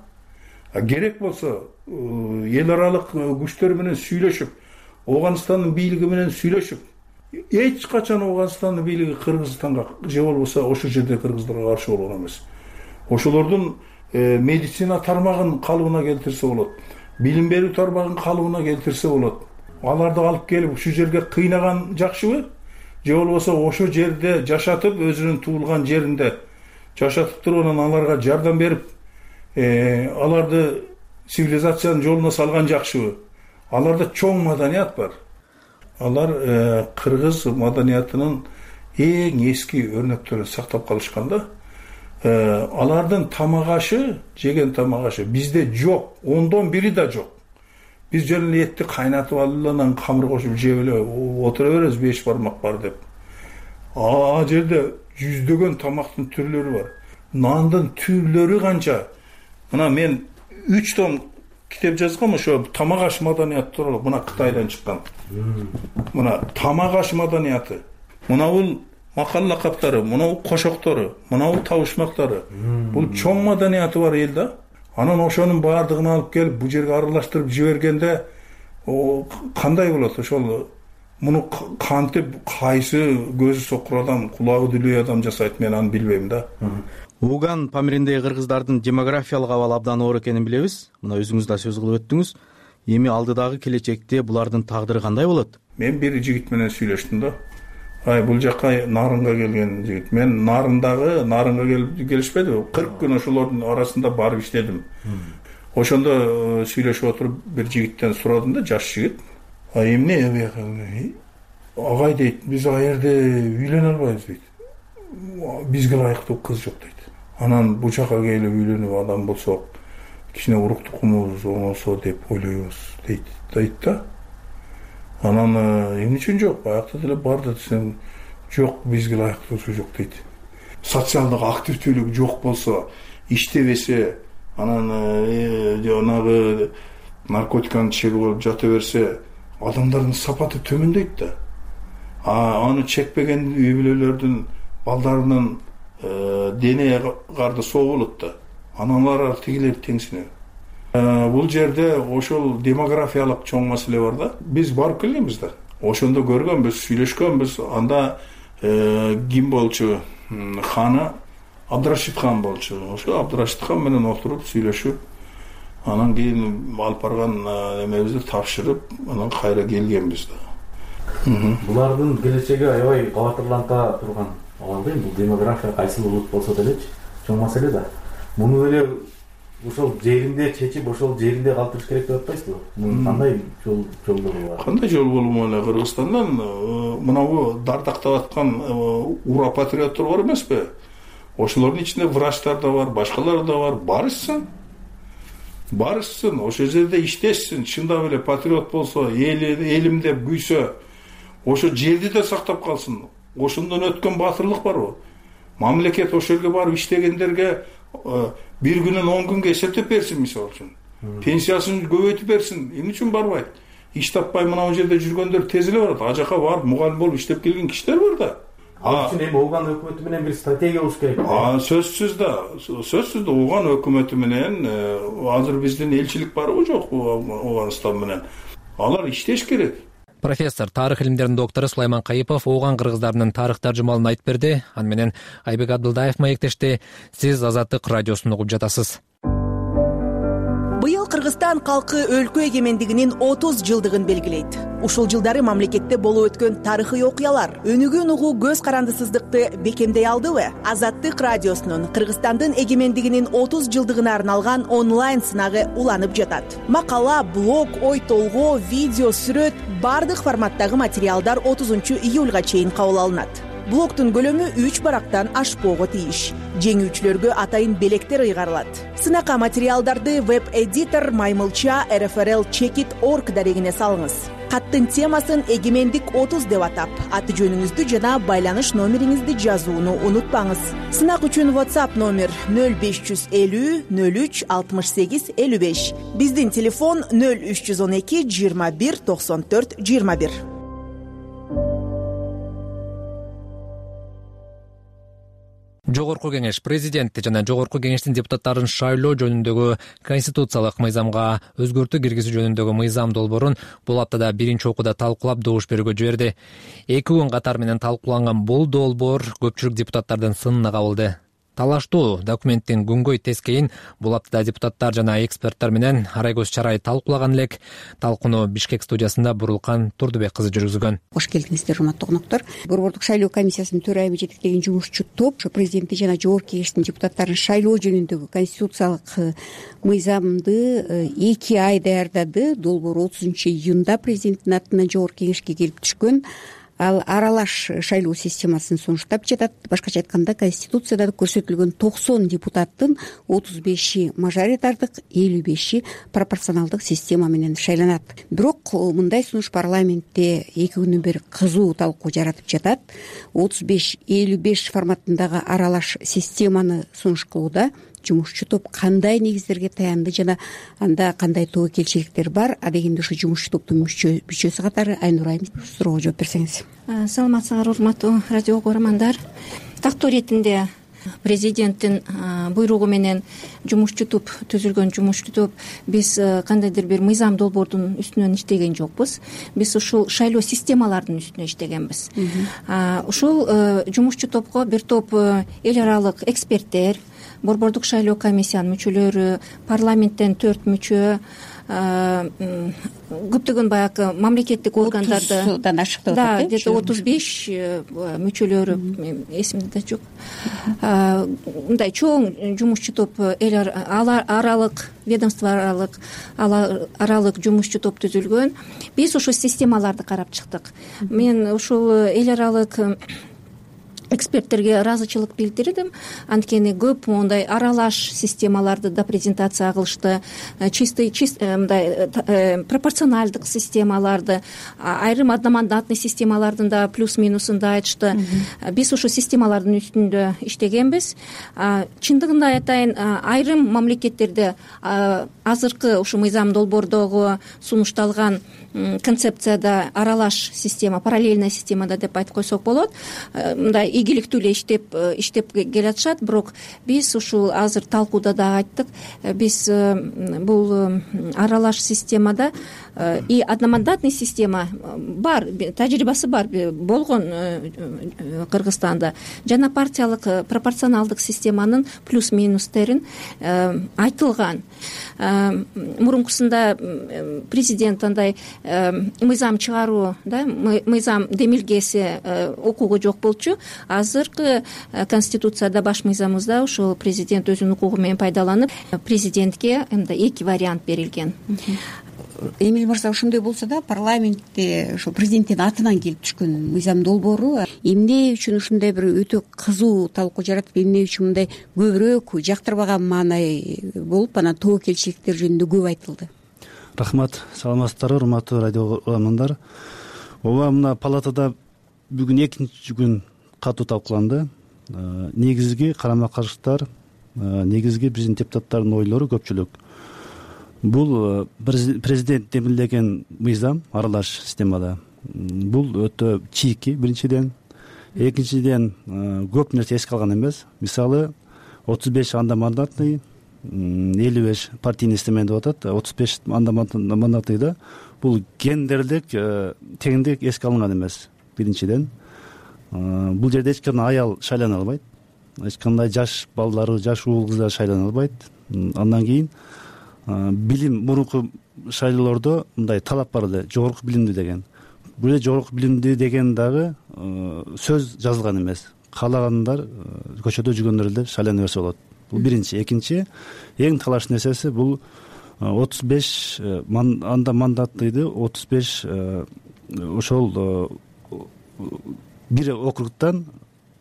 керек болсо эл аралык күчтөр менен сүйлөшүп, Ооганстандын бийлиги менен сүйлөшүп, эч качан Ооганстандын бийлиги Кыргызстанга же болбосо ошол жерде кыргыздарга каршы болгон эмес. Ошолордун медицина тармагын калыбына келтирсе болот, билим берүү тармагын калыбына келтирсе болот. Аларды алып келип ушул жерге кыйнаган жакшыбы? Же болбосо ошол жерде жашатып, өзүнүн туулган жеринде жашатып туруп, анан аларга жардам берип, аларды цивилизациянын жолуна салган жакшыбы? Аларда чоң маданият бар. Алар кыргыз маданиятынын эң эски өрнөктөрүн сактап калышканда, алардын тамак ашы, жеген тамак ашы бизде жок, 1/10 да жок. Биз жөн эле этти кайнатып алып, анан камыр кошуп жеп эле отура беребиз, 5 бармак бар деп. А жерде жүздөгөн тамактын түрлөрү бар. Нандын түрлөрү канча. Мына мен 3 том китеп жазгам ошо тамак аш маданияты тууралуу. Мына Кытайдан чыккан. Мына тамак аш маданияты. Мына бул макал лакаптары, мына бул кошоктору, мына бул табышмактары. Бул чоң маданияты бар эл да. Анан ошонун баардыгын алып келип бул жерге аралаштырып жибергенде кандай болот? Ошол муну кантип кайсы көзү сокур адам, кулагы дүлөй адам жасайт, мен аны билбейм да. Ооган Памириндеги кыргыздардын демографиялык абалы абдан оор экенин билебиз. Мына өзүңүз да сөз кылып өттүңүз. Эми алдыдагы келечекте булардын тагдыры кандай болот? Мен бир жигит менен сүйлөштүм да. Бул жакка Нарынга келген жигит. Мен Нарынга келишпеди. 40 күн ошолордун арасында барып иштедим. Ошондо сүйлөшүп отуруп бир жигиттен сурадым да, жаш жигит. Эмне бияка? Агай дейт, биз ага жерде үйлөнө албайбыз дейт. Бизге ылайыктуу кыз жок дейт. Анан бул жака келип үйлөнүп адам болсок, кичине урук тукумубуз оңолсо деп ойлойбуз дейт да. Анан эмне үчүн жок? Баягы деле барды десем, жок, бизге ылайыктуусу жок дейт. Социалдык активдүүлүк жок болсо, иштебесе, анан жанагы наркотиканы чегип алып жата берсе, адамдардын сапаты төмөндөйт да. Аны чекпеген үй бүлөлөрдүн балдарынын дене карды соо болот да. Анан алар тигилер теңсинет. Бул жерде ошол демографиялык чоң маселе бар да. Биз барып келгенбиз да. Ошондо көргөнбүз, сүйлөшкөнбүз. Анда ким болчу? Ханы Абдырашид хан болчу. Ошо Абдырашид хан менен отуруп сүйлөшүп, анан кийин алып барган эмебизди тапшырып, анан кайра келгенбиз да. Булардын келечеги аябай кабатырланта турган. Албейм, бул демография кайсы улут болсо делечи, чоң маселе да. Муну эле ошол жеринде чечип, ошол жеринде калтырыш керек деп атпайсызбы? Мунун кандай жолдору бар? Кандай жол болмок эле? Кыргызстандан мынабу дардактап аткан ура патриоттор бар эмеспи? Ошолордун ичинде врачтар да бар, башкалар да бар. Барышсын, ошол жерде иштешсин. Чындап эле патриот болсо, элим деп күйсө, ошо жерди да сактап калсын. Ошондон өткөн батырлык барбы? Мамлекет ошол жерге барып иштегендерге бир күнөн 10 күнгө эсептеп берсин, мисалы үчүн. Пенсиясын көбөйтүп берсин. Эмне үчүн барбайт? Иш таппай мына бул жерде жүргөндөр тез эле барат. А жака барып мугалим болуп иштеп келген кишилер бар да. Ал үчүн эми Ооган өкмөтү менен бир стратегия болуш керек. Сөзсүз да Ооган өкмөтү менен азыр биздин элчилик барбы жок Ооганстан менен. Алар иштеш керек. Профессор, тарых илимдеринин доктору Сулайман Кайыпов Ооган кыргыздарынын тарых таржымалын айтып берди. Аны менен Айбек Абдылдаев маектешти. Сиз Азаттык радиосун угуп жатасыз. Быйыл Кыргызстан калкы өлкө эгемендигинин 30 жылдыгын белгилейт. Ушул жылдары мамлекетте болуп өткөн тарыхый окуялар өнүгүүнү угуу көз карандысыздыкты бекемдей алдыбы? Азаттык радиосунун Кыргызстандын эгемендигинин 30 жылдыгына арналган онлайн сынагы уланып жатат. Макала, блог, ой толгоо, видео, сүрөт бардык форматтагы материалдар 30 июлга чейин кабыл алынат. Блогтун көлөмү 3 барактан ашпоого тийиш. Жеңүүчүлөргө атайын белектер ыйгарылат. Сынакка материалдарды веб-эдитор Маймылча rfrl-checkit.org дарегине салыңыз. Каттын темасын эгемендик 30 деп атап, аты жөнүңүздү жана байланыш номериңизди жазууну унутпаңыз. Сынак үчүн WhatsApp номер 0550 03 68 55. Биздин телефон 0312 21 94 21. Жогорку кеңеш президент жана жогорку кеңештин депутаттарын шайлоо жөнүндөгү конституциялык мыйзамга өзгөртүү киргизүү жөнүндөгү мыйзам долбоорун бул аптада биринчи окууда талкуулап добуш берүүгө жиберди. 2 күн катары менен талкууланган бул долбоор көпчүлүк депутаттардын сынына кабылды. Талаштуу документтин күнгөй тескейин бул аптада депутаттар жана эксперттер менен арай көз чарай талкуулаган элек. Талкууну Бишкек студиясында Бурулкан Турдубек кызы жүргүзгөн. Кош келдиңиздер, урматтуу коноктор. Борбордук шайлоо комиссиясынын төрайымы жетектеген жумушчу топ президенти жана жогорку кеңештин депутаттарын шайлоо жөнүндөгү конституциялык мыйзамды 2 ай даярдады. Долбоор 30-июнда президенттин атынан жогорку кеңешке келип түшкөн. Ал аралаш шайлоо системасын сунуштап жатат. Башкача айтканда, конституцияда көрсөтүлгөн 90 депутаттын 35и мажоритардык, 55и пропорционалдык система менен шайланат. Бирок мындай сунуш парламентте 2 күндөн бери кызуу талкуу жаратып жатат. 35-55 форматындагы аралаш системаны сунуш кылууда жумушчу топ кандай негиздерге таянды жана анда кандай тобокелчиликтер бар? Адегенде ушу жумушчу топтун мүчөсү катары Айнур айым суроого жооп берсеңиз. Саламатсыңар, урматтуу радио угармандар. Тактоо иретинде президенттин буйругу менен жумушчу топ түзүлгөн жумушчу топ биз кандайдыр бир мыйзам долбоордун үстүнөн иштеген жокпуз. Биз ушул шайлоо системалардын үстүнө иштегенбиз. Ушул жумушчу топко бир топ эл аралык эксперттер, Борбордук шайлоо комиссиянын мүчөлөрү, парламенттен 4 мүчө, көптөгөн баягы мамлекеттик органдарды 30дан ашык деп атат. Да, где-то 35 мүчөлөрү эсимде да жок. Мындай чоң жумушчу топ эл аралык, ведомство аралык жумушчу топ түзүлгөн. Биз ошол системаларды карап чыктык. Мен ушул эл аралык эксперттерге ыраазычылык билдирдим. Анткени көп мондай аралаш системаларды да презентация кылышты. Чисто мындай пропорционалдык системаларды, айрым одномандатный системалардын да плюс-минусун да айтышты. Биз ушул системалардын үстүндө иштегенбиз. Чындыгында айтайын, айрым мамлекеттерде азыркы ушу мыйзам долбоордогу сунушталган концепцияда аралаш система, параллельная системада деп айтып койсок болот. Мындай ийгиликтүү эле иштеп келатышат. Бирок биз ушул азыр талкууда да айттык. Биз бул аралаш системада и одномандатный система бар, тажрыйбасы бар, болгон Кыргызстанда. Жана партиялык пропорционалдык системанын плюс-минустерин айтылган. Мурункусунда президент андай мыйзам чыгаруу, да, мыйзам демилгеси укугу жок болчу. Азыркы конституцияда, баш мыйзамыбызда ушул президент өзүнүн укугу менен пайдаланып, президентке 2 вариант берилген. Эмил мырза, ошондой болсо да парламентте ошо президенттин атынан келип түшкөн мыйзам долбоору эмне үчүн ушундай бир өтө кызуу талкуу жаратып, эмне үчүн мындай көбүрөөк жактырбаган маанай болуп, анан тобокелчиликтер жөнүндө көп айтылды? Рахмат, саламатсыздарбы, урматтуу радио угармандар. Ооба, мына палатада бүгүн 2 күн катуу талкууланды. Негизги карама-каршылыктар, негизги биздин депутаттардын ойлору көпчүлүк. Бул президент демилдеген мыйзам аралаш системада. Бул өтө чийки, биринчиден. Экинчиден, көп нерсе эске алган эмес. Мисалы, 35 андамандатный, 55 партийный система деп атат. 35 андамандатныйда бул гендерлик теңдик эске алынган эмес. Биринчиден, бул жерде эч кандай аял шайлана албайт. Эч кандай жаш балдары, жаш уул кыздар шайлана албайт. Андан кийин билим, мурунку шайлоолордо мындай талап бар эле, жогорку билимдүү деген. Бул жерде жогорку билимдүү деген дагы сөз жазылган эмес. Каалагандар көчөдө жүргөндөр эле шайлана берсе болот. Бул биринчи. Экинчи, эң талаш нерсеси бул 35 мандаттыйды, 35 ошол бир округтан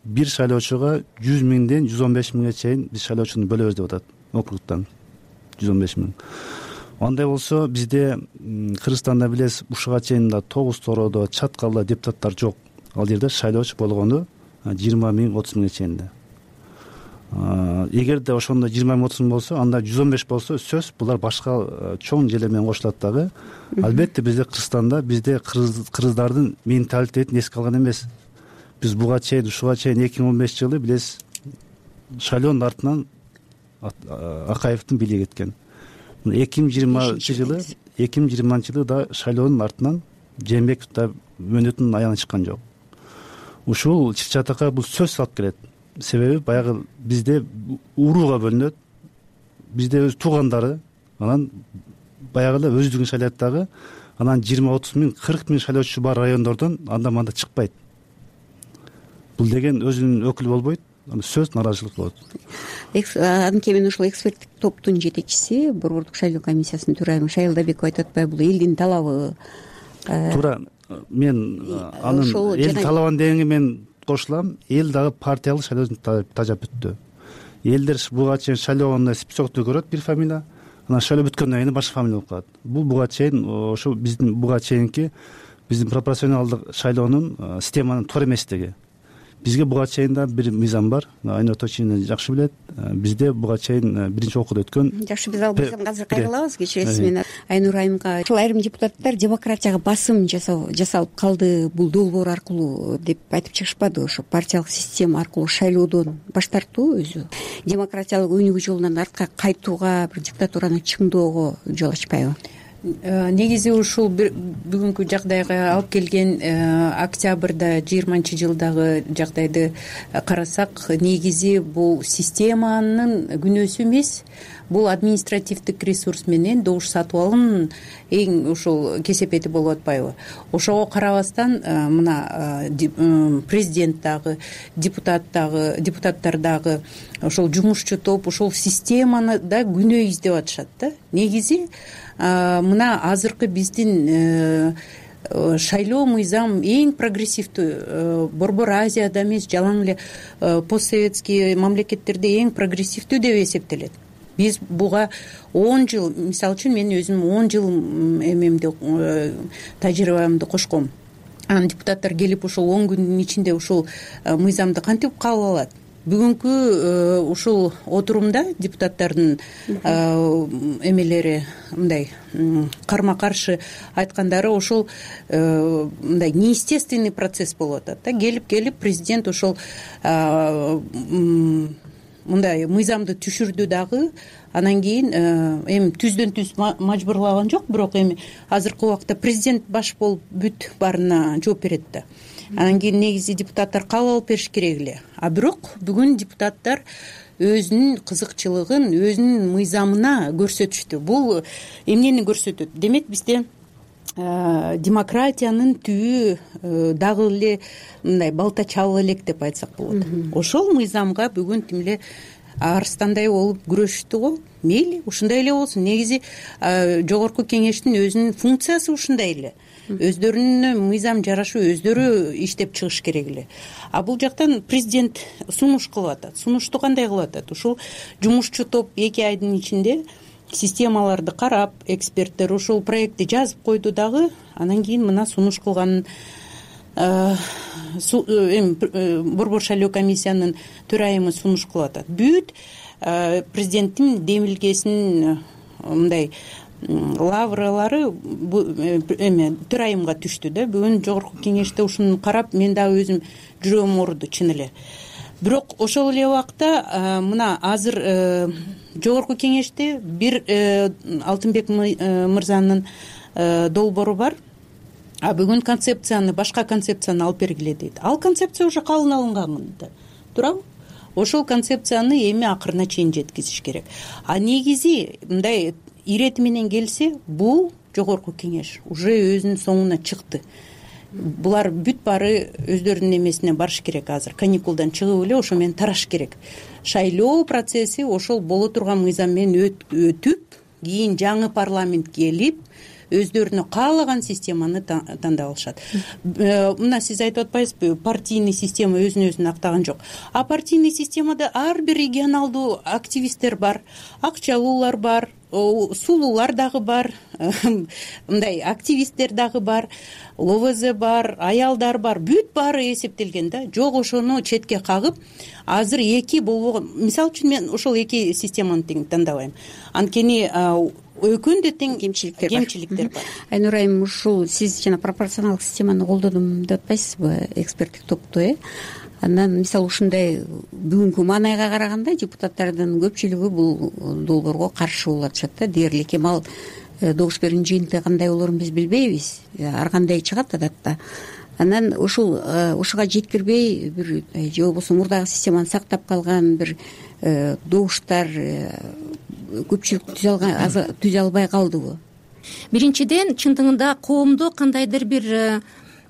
бир шайлоочуга 100 миңден 115 миңге чейин биз шайлоочуну бөлөбүз деп атат. Округтан 115 миң. Андай болсо бизде Кыргызстанда билесиз, ушуга чейин да Тогуз Тородо, Чаткалда депутаттар жок. Ал жерде шайлоочу болгону 20 миң, 30 миңге чейин да. Эгерде ошондо 20 миң, 30 миң болсо, анда 115 болсо сөз булар башка чоң жерлер менен кошулат дагы. Албетте бизде Кыргызстанда кыргыздардын менталитетин эске алган эмес. Биз буга чейин, ушуга чейин 2015 жылы билесиз, шайлоонун артынан Акаевдин бийлиги кеткен. 2020 жылы да шайлоонун артынан Жээнбеков да мөөнөтүнүн аягына чыккан жок. Ушул чыр чатакка бул сөз алып келет. Себеби баягы бизде урууга бөлүнөт, бизде өз туугандары, анан баягы эле өздүгүн шайлайт дагы, анан 20-30 миң, 40 миң шайлоочу бар райондордон анда-мында чыкпайт. Бул деген өзүнүн өкүлү болбойт, сөз нааразычылык болот. Анткени мен ушул эксперттик топтун жетекчиси, Борбордук шайлоо комиссиясынын төрайымы Шайыл Дабеков айтып атпайбы, бул элдин талабы. Туура, мен анын эл талабын дегенге мен кошулам. Эл дагы партиялык шайлоодон тажап бүттү. Элдер буга чейин шайлоогондо списокто көрөт бир фамилия, анан шайлоо бүткөндөн кийин башка фамилия болуп калат. Бул буга чейин ошо биздин буга чейинки биздин пропорционалдык шайлоонун системанын туура эместиги. Бизге буга чейин да бир мыйзам бар. Айнур Точинин жакшы билет. Бизде буга чейин биринчи окууда өткөн. Жакшы, биз ал мыйзамга азыр кайрылабыз. Кечиресиз мени. Айнур айымга ушул айрым депутаттар демократияга басым жасалып калды, бул долбоор аркылуу деп айтып чыгышпады. Ошо партиялык система аркылуу шайлоодон баш тартуу өзү демократиялык өнүгүү жолунан артка кайтууга, бир диктатураны чыңдоого жол ачпайбы? Негизи ушул бүгүнкү жагдайга алып келген октябрда 20-жылдагы жагдайды карасак, негизи бул системанын күнөөсү эмес, бул административдик ресурс менен добуш сатып алуунун эң ушул кесепети болуп атпайбы? Ошого карабастан мына президент дагы, депутаттар дагы, ошол жумушчу топ ушул системаны да күнөө издеп атышат да. Негизи мына азыркы биздин шайлоо мыйзам эң прогрессивдүү, Борбор Азияда эмес, жалаң эле постсоветский мамлекеттерде эң прогрессивдүү деп эсептелет. Биз буга 10 жыл, мисалы үчүн мен өзүм 10 жыл эмемди тажрыйбамды кошком. Анан депутаттар келип ушул 10 күндүн ичинде ушул мыйзамды кантип кабыл алат? Бүгүнкү ушул отурумда депутаттардын эмелери мындай карма каршы айткандары ушул мындай неестественный процесс болуп атат да. Келип президент ушул мындай мыйзамды түшүрдү дагы, анан кийин эми түздөн түз мажбурлаган жок, бирок эми азыркы убакта президент баш болуп бүт баарына жооп берет да. Анан кийин негизи депутаттар кабыл алып бериш керек эле. А бирок бүгүн депутаттар өзүнүн кызыкчылыгын, өзүнүн мыйзамына көрсөтүштү. Бул эмнени көрсөтөт? Демек бизде демократиянын түбү дагы эле мындай балта чабып элек деп айтсак болот. Ошол мыйзамга бүгүн тим эле арстандай болуп күрөшүштү го. Мейли, ушундай эле болсун. Негизи жогорку кеңештин өзүнүн функциясы ушундай эле. Өздөрүнө мыйзам жарашу өздөрү иштеп чыгыш керек эле. А бул жактан президент сунуш кылып атат. Сунушту кандай кылып атат? Ушул жумушчу топ 2 айдын ичинде системаларды карап, эксперттер ушул проектти жазып койду дагы, анан кийин мына сунуш кылганын Борбор шайлоо комиссиянын төрайымы сунуш кылып атат. Бүт президенттин демилгесинин мындай лавралары төрайымга түштү да. Бүгүн жогорку кеңеште ушуну карап, мен дагы өзүм жүрөгүм ооруду чын эле. Бирок ошол эле убакта мына азыр жогорку кеңеште бир Алтынбек мырзанын долбоору бар. А бүгүн концепцияны, башка концепцияны алып бергиле дейт. Ал концепция уже кабыл алынган да. Туурабы? Ошол концепцияны эми акырына чейин жеткизиш керек. А негизи мындай ирети менен келсе, бул жогорку кеңеш уже өзүнүн соңуна чыкты. Булар бүт баары өздөрүнүн эмесине барыш керек азыр. Каникулдан чыгып эле ошо менен тараш керек. Шайлоо процесси ошол боло турган мыйзам менен өтүп, кийин жаңы парламент келип, өздөрүнө каалаган системаны тандап алышат. Мына сиз айтып атпайсызбы, партийный система өзүн актаган жок. А партийный системада ар бир регионалдуу активисттер бар, акчалуулар бар, сулуулар дагы бар, мындай активисттер дагы бар, ЛОВЗ бар, аялдар бар, бүт баары эсептелген да. Жок, ошону четке кагып, азыр эки болбогон. Мисалы үчүн мен ошол эки системаны тең тандабайм. Анткени экөөндө тең кемчиликтер бар. Айнур айым, ушул сиз жана пропорционалдык системаны колдодум деп атпайсызбы, эксперттик топту, Андан мисалы ушундай бүгүнкү маанайга караганда депутаттардын көпчүлүгү бул долбоорго каршы болуп атышат да. Дээрлик эми ал добуш берүүнүн жыйынтыгы кандай болорун биз билбейбиз. Ар кандай чыгат адатта. Анан ушуга жеткирбей бир же болбосо мурдагы системаны сактап калган бир добуштар көпчүлүк түзө албай калдыбы? Биринчиден, чындыгында коомдо кандайдыр бир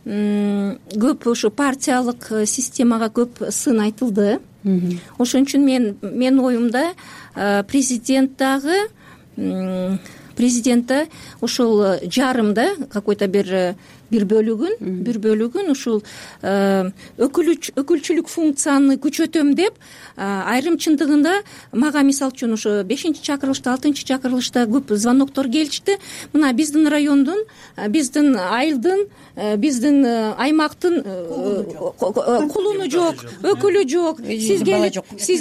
көп ушу партиялык системага көп сын айтылды. Ошон үчүн менин оюмда президент да ошол жарымда какой-то бир бөлүгүн ушул өкүлчүлүк функцияны күчөтөм деп айрым чындыгында мага мисалы үчүн ошо 5-чакырылышта 6-чакырылышта көп звоноктор келишти. Мына биздин райондун, биздин айылдын, биздин аймактын кулуну жок, өкүлү жок. Сиз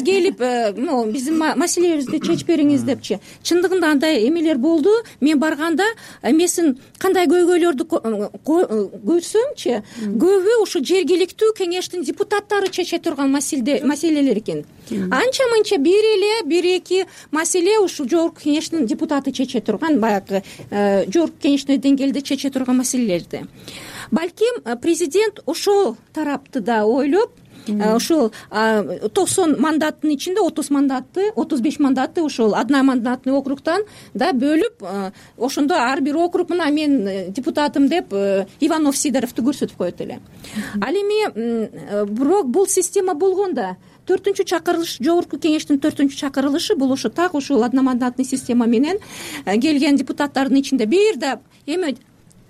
келип биздин маселебизди чечип бериңиз депчи. Чындыгында андай эмелер болду. Мен барганда эмесин кандай көйгөйлөрдү көрсөмчү, көбү ушу жергиликтүү кеңештин депутаттары чече турган маселелер экен. Анча-мынча бир эки маселе ушул жогорку кеңештин депутаты чече турган, баягы жогорку кеңештин деңгээлде чече турган маселелерди. Балким президент ошол тарапты да ойлоп, ошол 90 мандаттын ичинде 35 мандатты ошол одномандатный округтан да бөлүп, ошондо ар бир округ мына мен депутатым деп Иванов Сидоровду көрсөтүп коет эле. Ал эми бирок бул система болгондо 4-чакырылыш, жогорку кеңештин 4-чакырылышы бул ошо так ошол одномандатный система менен келген депутаттардын ичинде бир да эми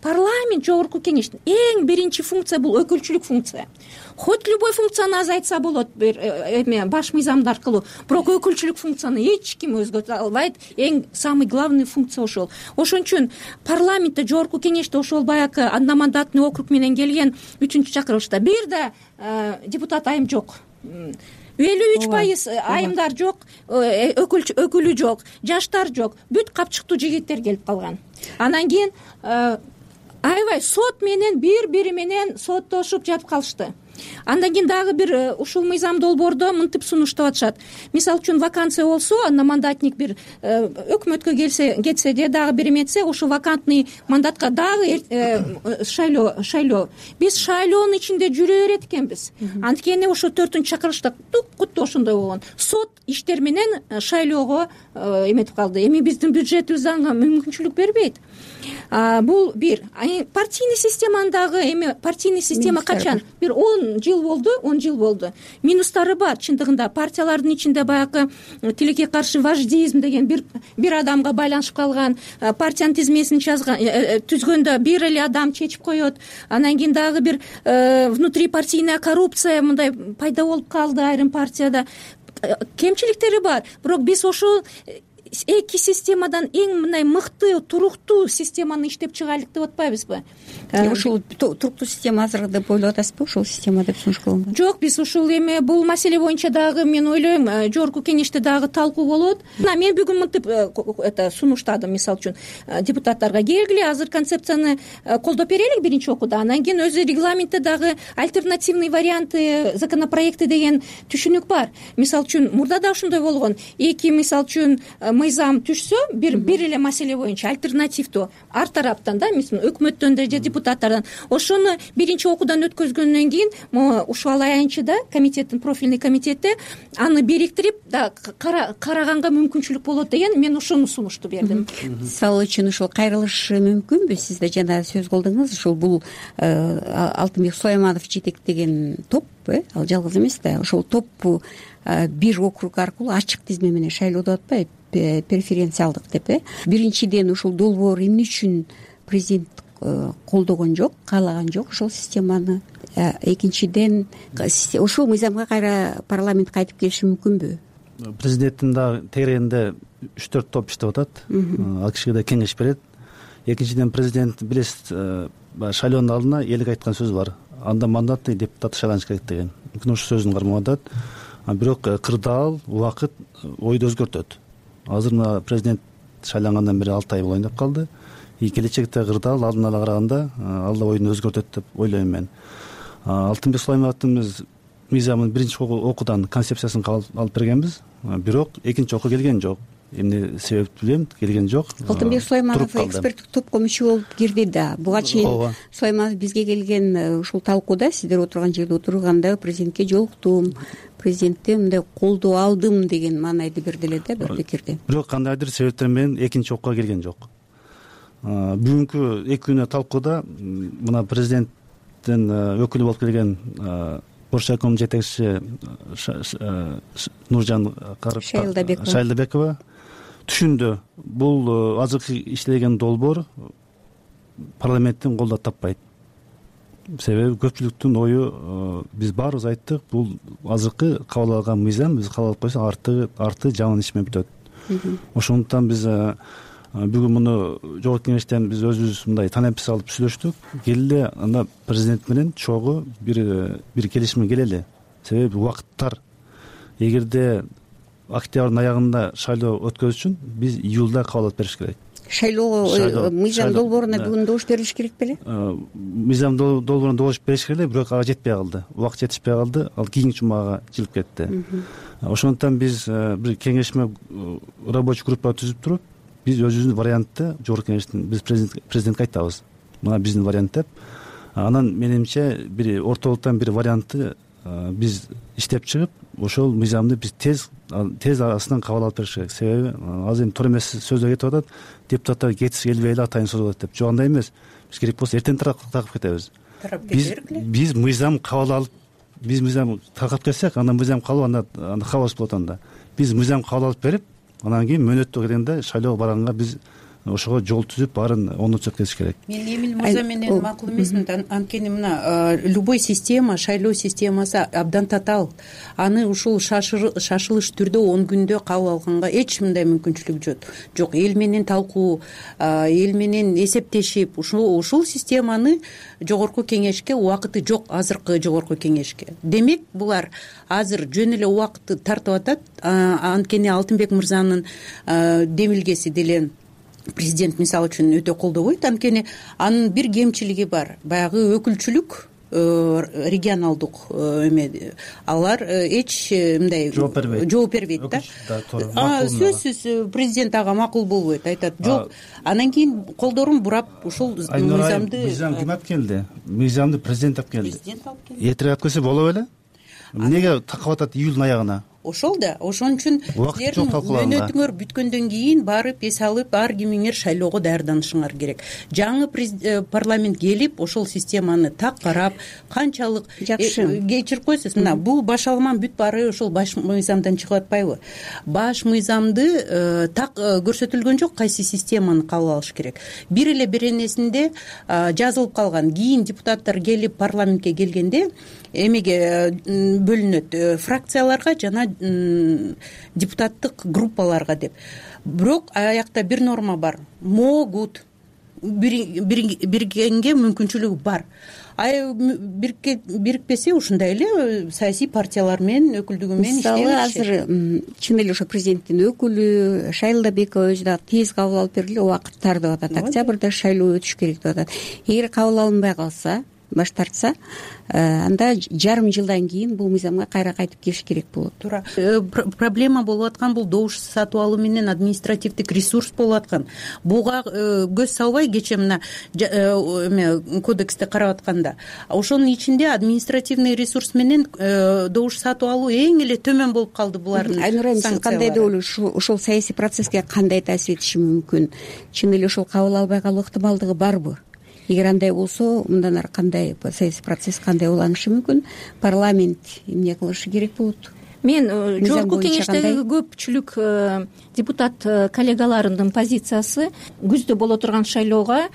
парламент жогорку кеңештин эң биринчи функция бул өкүлчүлүк функция. Хоть любой функцияны азайтса болот эме баш мыйзамды аркылуу, бирок өкүлчүлүк функцияны эч ким өзгөртө албайт. Эң самый главный функция ошол. Ошон үчүн парламентте жогорку кеңеште ошол баягы одномандатный округ менен келген 3-чакырылышта бир да депутат айым жок. 53% айымдар жок, өкүлү жок, жаштар жок, бүт капчыктуу жигиттер келип калган. Анан кийин аябай сот менен бири менен соттошуп жатып калышты. Андан кийин дагы бир ушул мыйзам долбоордо мынтип сунуштап атышат. Мисалы үчүн вакансия болсо, одномандатник бир өкмөткө кетсе же дагы бир эметсе, ушул вакантный мандатка дагы шайлоо. Биз шайлоонун ичинде жүрө берет экенбиз. Анткени ошо 4-чакырылышта куту ошондой болгон. Сот иштер менен шайлоого эметип калды. Эми биздин бюджетибиз ага мүмкүнчүлүк бербейт. Бул бир. Партийный системандагы эми партийный система качан? Бир 10 жыл болду. Минустары бар. Чындыгында партиялардын ичинде баягы тилекке каршы вождизм деген бир адамга байланышып калган, партиянын тизмесин түзгөндө бир эле адам чечип коет. Анан кийин дагы бир внутрипартийная коррупция мындай пайда болуп калды айрым партияда. Кемчиликтери бар. Бирок биз ошол эки системадан эң мындай мыкты, туруктуу системаны иштеп чыгайлык деп атпайбызбы? Ушул туруктуу система азыр деп ойлоп атасызбы? Ушул система деп сунушталган. Жок, биз ушул эми бул маселе боюнча дагы мен ойлойм, жогорку кеңеште дагы талкуу болот. Мен бүгүн мынтип сунуштадым, мисалы үчүн депутаттарга келгиле, азыр концепцияны колдоп берели биринчи окууда. Андан кийин өзү регламентте дагы альтернативный варианты законопроекти деген түшүнүк бар. Мисалы үчүн мурда да ошондой болгон. Мисалы үчүн мыйзам түшсө, бир эле маселе боюнча альтернативдүү ар тараптан да, мисалы өкмөттөн да же депутаттардан ошону биринчи окуудан өткөзгөндөн кийин ушул аянчыда комитеттин профильный комитетте аны бириктирип да караганга мүмкүнчүлүк болот деген мен ошону сунушту бердим. Мисалы үчүн ушул кайрылышы мүмкүнбү? Сиз да жана сөз кылдыңыз, ушул бул Алтынбек Сулайманов жетектеген топ, ал жалгыз эмес да. Ошол топ бир округ аркылуу ачык тизме менен шайлоодо атпайбы, преференциалдык деп. Биринчиден ушул долбоор эмне үчүн президент колдогон жок, каалаган жок ошол системаны. Экинчиден ошол мыйзамга кайра парламент кайтып келиши мүмкүнбү? Президенттин да тегерегинде 3-4 топ иштеп атат. Ал кишиге да кеңеш берет. Экинчиден президент билесиз, шайлоонун алдына элге айткан сөзү бар. Анда мандатный депутат шайланыш керек деген. Мүмкүн ошол сөзүн кармап атат. Бирок кырдаал, убакыт ойду өзгөртөт. Азыр мына президент шайлангандан бери 6 ай болоюн деп калды. Келечекте кырдаал алдын ала караганда ал да ойун өзгөртөт деп ойлойм мен. Алтынбек Сулаймановдун биз мыйзамын биринчи окуудан концепциясын алып бергенбиз, бирок экинчи окуу келген жок. Эмне себепти билем, келген жок. Алтынбек Сулайманов эксперттик топко мүчө болуп кирди да. Буга чейин Сулайманов бизге келген ушул талкууда, сиздер отурган жерде отурганда президентке жолуктум, президенттен мындай колдоо алдым деген маанайды берди эле да бир пикирди. Бирок кандайдыр себептер менен экинчи окууга келген жок. Бүгүнкү 2 күнү талкууда мына президенттин өкүлү болуп келген Боршаком жетекчиси Нуржан Шайлдабекова түшүндү, бул азыркы иштелген долбоор парламенттин колдоо таппайт. Себеби көпчүлүктүн ою, биз баарыбыз айттык, бул азыркы кабыл алган мыйзам биз кабыл алып койсок арты жаман иш менен бүтөт. Ошондуктан биз бүгүн муну жогорку кеңештен биз өзүбүз мындай танемпис алып сүйлөштүк. Келели анда президент менен чогуу бир келишимге келели. Себеби убакыттар, эгерде октябрдын аягында шайлоо өткөзүш үчүн биз июлда кабыл алып бериш керек. Шайлоо мыйзам долбооруна бүгүн добуш берилиш керек беле? Мыйзам долбооруна добуш бериш керек эле, бирок ага жетпей калды. Убакыт жетишпей калды. Ал кийинки жумага жылып кетти. Ошондуктан биз бир кеңешме рабочий группа түзүп туруп, биз өзүбүздүн вариантты жогорку кеңештин биз президентке айтабыз. Мына биздин вариант деп. Анан менимче бир ортолуктан бир вариантты биз иштеп чыгып, ошол мыйзамды биз тез арасынан кабыл алып бериш керек. Себеби азыр эми туура эмес сөздөр кетип атат. Депутаттар кетиши келбей эле атайын созулат деп. Жок, андай эмес. Биз керек болсо эртең таркап кетебиз. Биз мыйзам кабыл алып, биз мыйзам таркап кетсек, андан мыйзам калып, анда хаос болот анда. Биз мыйзам кабыл алып берип, анан кийин мөөнөттө келгенде шайлоого барганга биз ошого жол түзүп баарын оңдотсок кетиш керек. Мен Эмил мырза менен макул эмесмин. Анткени мына любой система, шайлоо системасы абдан татаал. Аны ушул шашылыш түрдө 10 күндө кабыл алганга эч мындай мүмкүнчүлүк жок. Эл менен талкуу, эл менен эсептешип, ушул системаны жогорку кеңешке убакыты жок, азыркы жогорку кеңешке. Демек, булар азыр жөн эле убакытты тартып атат. Анткени Алтынбек мырзанын демилгеси деле президент мисалы үчүн өтө колдобойт. Анткени анын бир кемчилиги бар. Баягы өкүлчүлүк, регионалдык алар эч мындай жооп бербейт да. Сөзсүз президент ага макул болбойт, айтат жок. Анан кийин колдорун бурап ушул мыйзамды ким алып келди? Мыйзамды президент алып келди. Эртерээк алып келсе боло беле? Эмнеге такап атат июлдун аягына? Ошол да, ошон үчүн силердин мөөнөтүңөр бүткөндөн кийин барып эс алып, ар кимиңер шайлоого даярданышыңар керек. Жаңы парламент келип, ошол системаны так карап, канчалык кечирип койсуз, мына бул баш алман бүт баары ошол баш мыйзамдан чыгып атпайбы? Баш мыйзамды так көрсөтүлгөн жок, кайсы системаны кабыл алыш керек. Бир эле беренесинде жазылып калган. Кийин депутаттар келип парламентке келгенде эмеге бөлүнөт, фракцияларга жана депутаттык группаларга деп. Бирок аякта бир норма бар. Могут биргенге мүмкүнчүлүгү бар. Бирикпесе ушундай эле саясий партиялар менен өкүлдүгү менен иштей беришет. Азыр чын эле ошо президенттин өкүлү Шайлдабекова өзү да тез кабыл алып бергиле, убакыттар деп атат. Октябрда шайлоо өтүш керек деп атат. Эгер кабыл алынбай калса, баш тартса, анда жарым жылдан кийин бул мыйзамга кайра кайтып келиш керек болот. Туура. Проблема болуп аткан бул добуш сатып алуу менен административдик ресурс болуп аткан. Буга көз салбай кече мына кодексте карап атканда, ошонун ичинде административный ресурс менен добуш сатып алуу эң эле төмөн болуп калды булардын. Айнура, сиз кандай деп ойлойсуз? Ошол саясий процесске кандай таасир этиши мүмкүн? Чын эле ошол кабыл албай калуу ыктымалдыгы барбы? Эгер андай болсо, мындан ары кандай саясий процесс кандай уланышы мүмкүн? Парламент эмне кылышы керек болот? Мен жогорку кеңештеги көпчүлүк депутат коллегаларымдын позициясы күздө боло турган шайлоого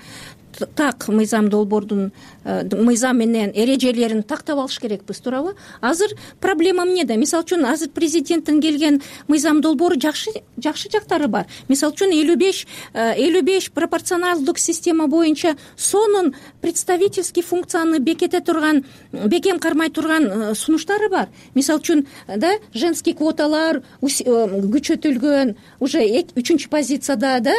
так мыйзам долбоордун мыйзам менен эрежелерин тактап алыш керекпиз, туурабы? Азыр проблема эмнеде? Мисалы үчүн азыр президенттин келген мыйзам долбоору жакшы жактары бар. Мисалы үчүн 55 пропорционалдык система боюнча сонун представительский функцияны бекем кармай турган сунуштары бар. Мисалы үчүн да женский квоталар күчөтүлгөн, уже 3-чү позицияда да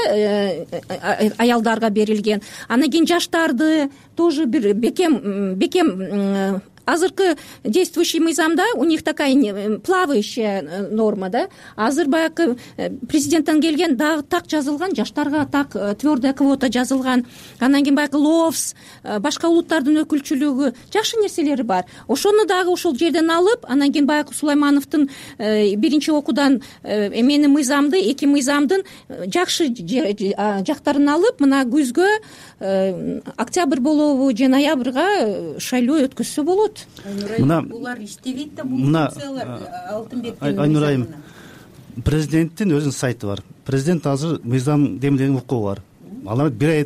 аялдарга берилген. Анан кийин жаштарды тоже бир бекем азыркы действующий мыйзамда у них такая плавающая норма, да. Азыр баягы президенттен келген дагы так жазылган, жаштарга так твердая квота жазылган, анан кийин баягы лофс, башка улуттардын өкүлчүлүгү, жакшы нерселери бар. Ошону дагы ошол жерден алып, анан кийин баягы Сулаймановдун биринчи окуудан менин мыйзамды, эки мыйзамдын жакшы жактарын алып, мына күзгө октябрь болобу же ноябрга шайлоо өткөзсө болот. Мына булар иштебейт да, бул функциялар Алтынбектин. Айнур айым, президенттин өзүнүн сайты бар. Президент азыр мыйзам демилген укугу бар. Алар бир ай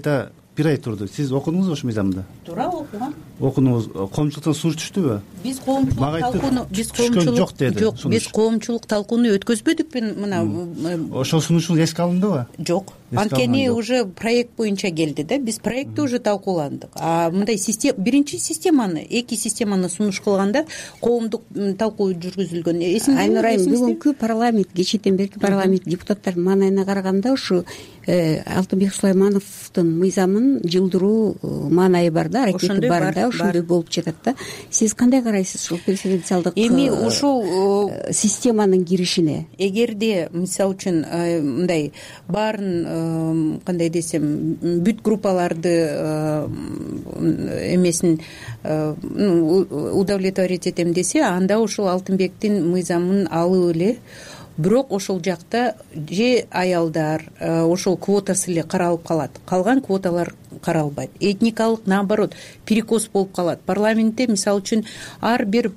турду. Сиз окудуңузбу ошол мыйзамды? Туура окугам. Окудуңуз. Коомчулуктан сунуш түштүбү? Биз коомчулук талкууну өткөзбөдүкпү мына. Ошол сунушуңуз эске алындыбы? Жок. Анткени уже проект боюнча келди да. Биз проектти уже талкууландык. А мындай биринчи системаны, эки системаны сунуш кылганда коомдук талкуу жүргүзүлгөн. Айнур айым, бүгүнкү парламент, кечээден берки парламент депутаттардын маанайына караганда ушу Алтынбек Сулаймановдун мыйзамын жылдыруу маанайы бар да, аракети бар да, ошондой болуп жатат да. Сиз кандай карайсыз ушул прецеденциалдык эми ушул системанын киришине? Эгерде мисалы үчүн мындай баарын кандай десем, бүт группаларды эмесин удовлетворить этем десе, анда ушул Алтынбектин мыйзамын алып эле. Бирок ошол жакта же аялдар ошол квотасы эле каралып калат. Калган квоталар каралбайт. Этникалык, наоборот, перекос болуп калат. Парламентте мисалы үчүн ар бир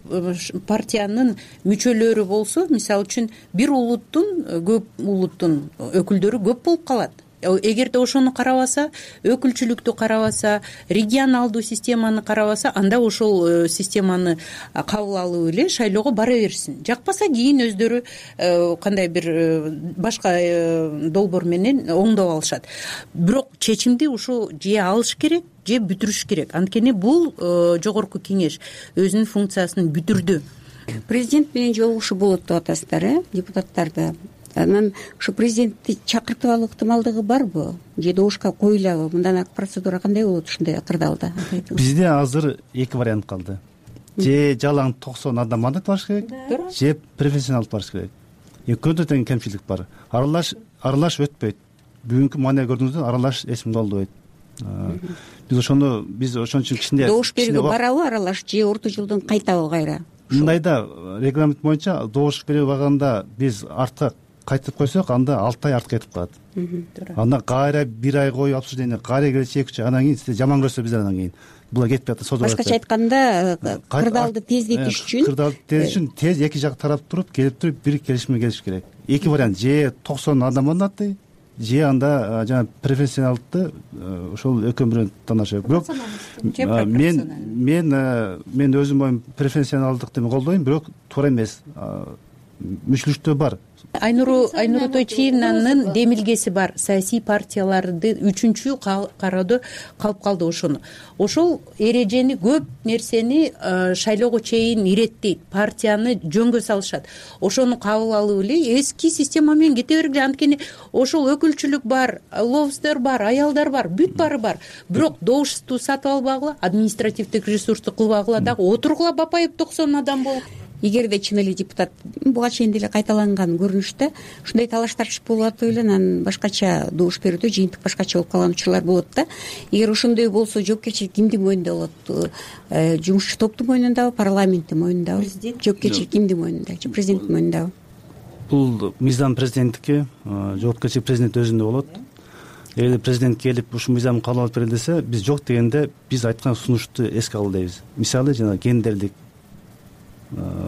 партиянын мүчөлөрү болсо, мисалы үчүн бир көп улуттун өкүлдөрү көп болуп калат. Эгерде ошону карабаса, өкүлчүлүктү карабаса, регионалдуу системаны карабаса, анда ошол системаны кабыл алып эле шайлоого бара берсин. Жакпаса кийин өздөрү кандай бир башка долбоор менен оңдоп алышат. Бирок чечимди ушу же алыш керек, же бүтүрүш керек. Анткени бул жогорку кеңеш өзүнүн функциясын бүтүрдү. Президент менен жолугушуу болот деп атасыздар, депутаттарды. Анан ушу президентти чакыртып алуу ыктымалдыгы барбы? Же добушка коюлабы? Мындан ак процедура кандай болот ушундай кырдаалда? Бизде азыр эки вариант калды. Же жалаң 90 адам мандат барыш керек, же преференциялык алып барыш керек. Экөөндө тең кемчилик бар. Аралаш өтпөйт. Бүгүнкү маанай көрдүңүздөр, аралаш эсимге алынбайт. Биз ошону ошон үчүн кичине добуш берүүгө барабы аралаш, же орто жолдон кайтабы кайра? Мындайда регламент боюнча добуш берүүгө барганда биз артка кайтып койсок, анда 6 ай артка кетип калат. Анда кайра 1 ай коюп обсуждение, кайра келсе 2 ай, анан кийин сиз жаман көрсө биздер анан кийин була кетип атат, созулуп атат. Башкача айтканда, кырдаалды тездетиш үчүн тез эки жак тарап туруп, келип туруп бир келишимге келиш керек. Эки вариант: же 90 адам мандатты, же анда жана преференциялыкты ошол экөө бирөө тандашат. Бирок мен өзүм оюм преференциялдыкты колдойм, бирок туура эмес. Мүчүлүктөө бар. Айнур Тойчиевнанын демилгеси бар. Саясий партияларды 3-чү кароодо калып калды ошону. Ошол эрежени, көп нерсени шайлоого чейин иреттейт, партияны жөнгө салышат. Ошону кабыл алып эле эски система менен кете бергиле. Анткени ошол өкүлчүлүк бар, лобстер бар, аялдар бар, бүт баары бар. Бирок добушту сатып албагыла, административдик ресурсту кылбагыла, дагы отургула бапайып 90 адам болуп. Эгерде чын эле депутат буга чейин деле кайталанган көрүнүштө ушундай талаш-тартыш болуп атып эле, анан башкача добуш берүүдө жыйынтык башкача болуп калган учурлар болот да. Эгер ошондой болсо жоопкерчилик кимдин мойнунда болот? Жумушчу топтун мойнундабы, парламенттин мойнундабы? Жоопкерчилик кимдин мойнунда? Же президенттин мойнундабы? Бул мыйзам президенттики, жоопкерчилик президент өзүндө болот. Эгерде президент келип ушул мыйзамды кабыл алып берели десе, биз жок дегенде биз айткан сунушту эске алалы дейбиз. Мисалы, жана гендерлик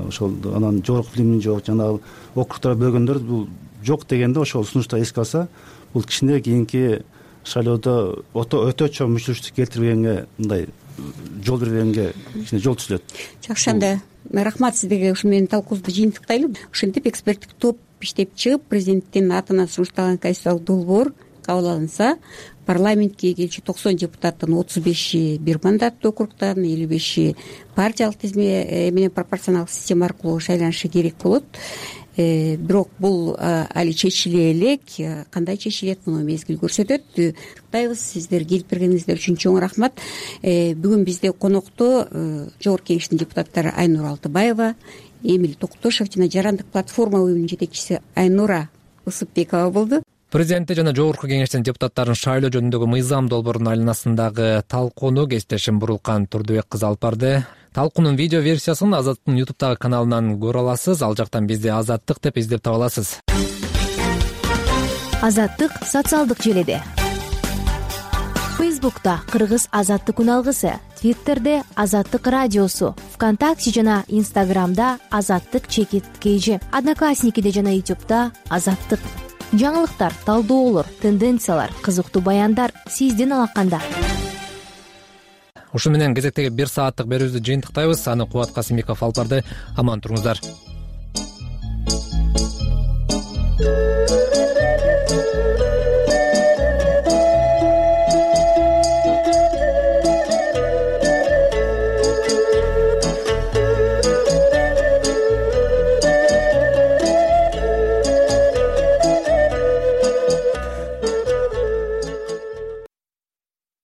ошол анан жогорку билими жок, жана округтарга бөлгөндөр бул жок дегенде ошол сунушту эске алса, бул кичине кийинки шайлоодо өтө чоң мүчүлүштү келтирбегенге, мындай жол бербегенге кичине жол түзүлөт. Жакшы, анда рахмат сиздерге. Ушу менен талкуубузду жыйынтыктайлы. Ошентип эксперттик топ иштеп чыгып, президенттин атынан сунушталган конституциялык долбоор кабыл алынса, парламентке келчү 90 депутаттын 35-и бир мандаттуу округтан, 55-и партиялык тизме менен пропорционалдык система аркылуу шайланышы керек болот. бирок бул али чечиле элек. Кандай чечилет, муну мезгил көрсөтөт. Куттуктайбыз, сиздер келип бергениңиздер үчүн чоң рахмат. Бүгүн бизде конокто Жогорку Кеңештин депутаттары Айнура Алтыбаева, Эмиль Токтошев жана Жарандык платформа уюмунун жетекчиси Айнура Ысыкбекова болду. Президенти жана Жогорку Кеңештин депутаттарын шайлоо жөнүндөгү мыйзам долбоорунун айланасындагы талкууну кесиптешим Бурулкан Турдубек кызы алып барды. Талкуунун видео версиясын Азаттыктын YouTube'дагы каналынан көрө аласыз. Ал жактан бизди Азаттык деп издеп таба аласыз. Азаттык социалдык желиде. Facebook'ta Кыргыз Азаттык үналгысы, Twitter'де Азаттык радиосу, ВКонтакте жана Instagram'да Азаттык _KG, Одноклассникиде жана YouTube'да Азаттык. Жаңылыктар, талдоолор, тенденциялар, кызыктуу баяндар сиздин алаканда. Ушу менен кезектеги 1 сааттык берүүбүздү жыйынтыктайбыз. Аны Кубат Касымбеков алып барды. Аман туруңуздар.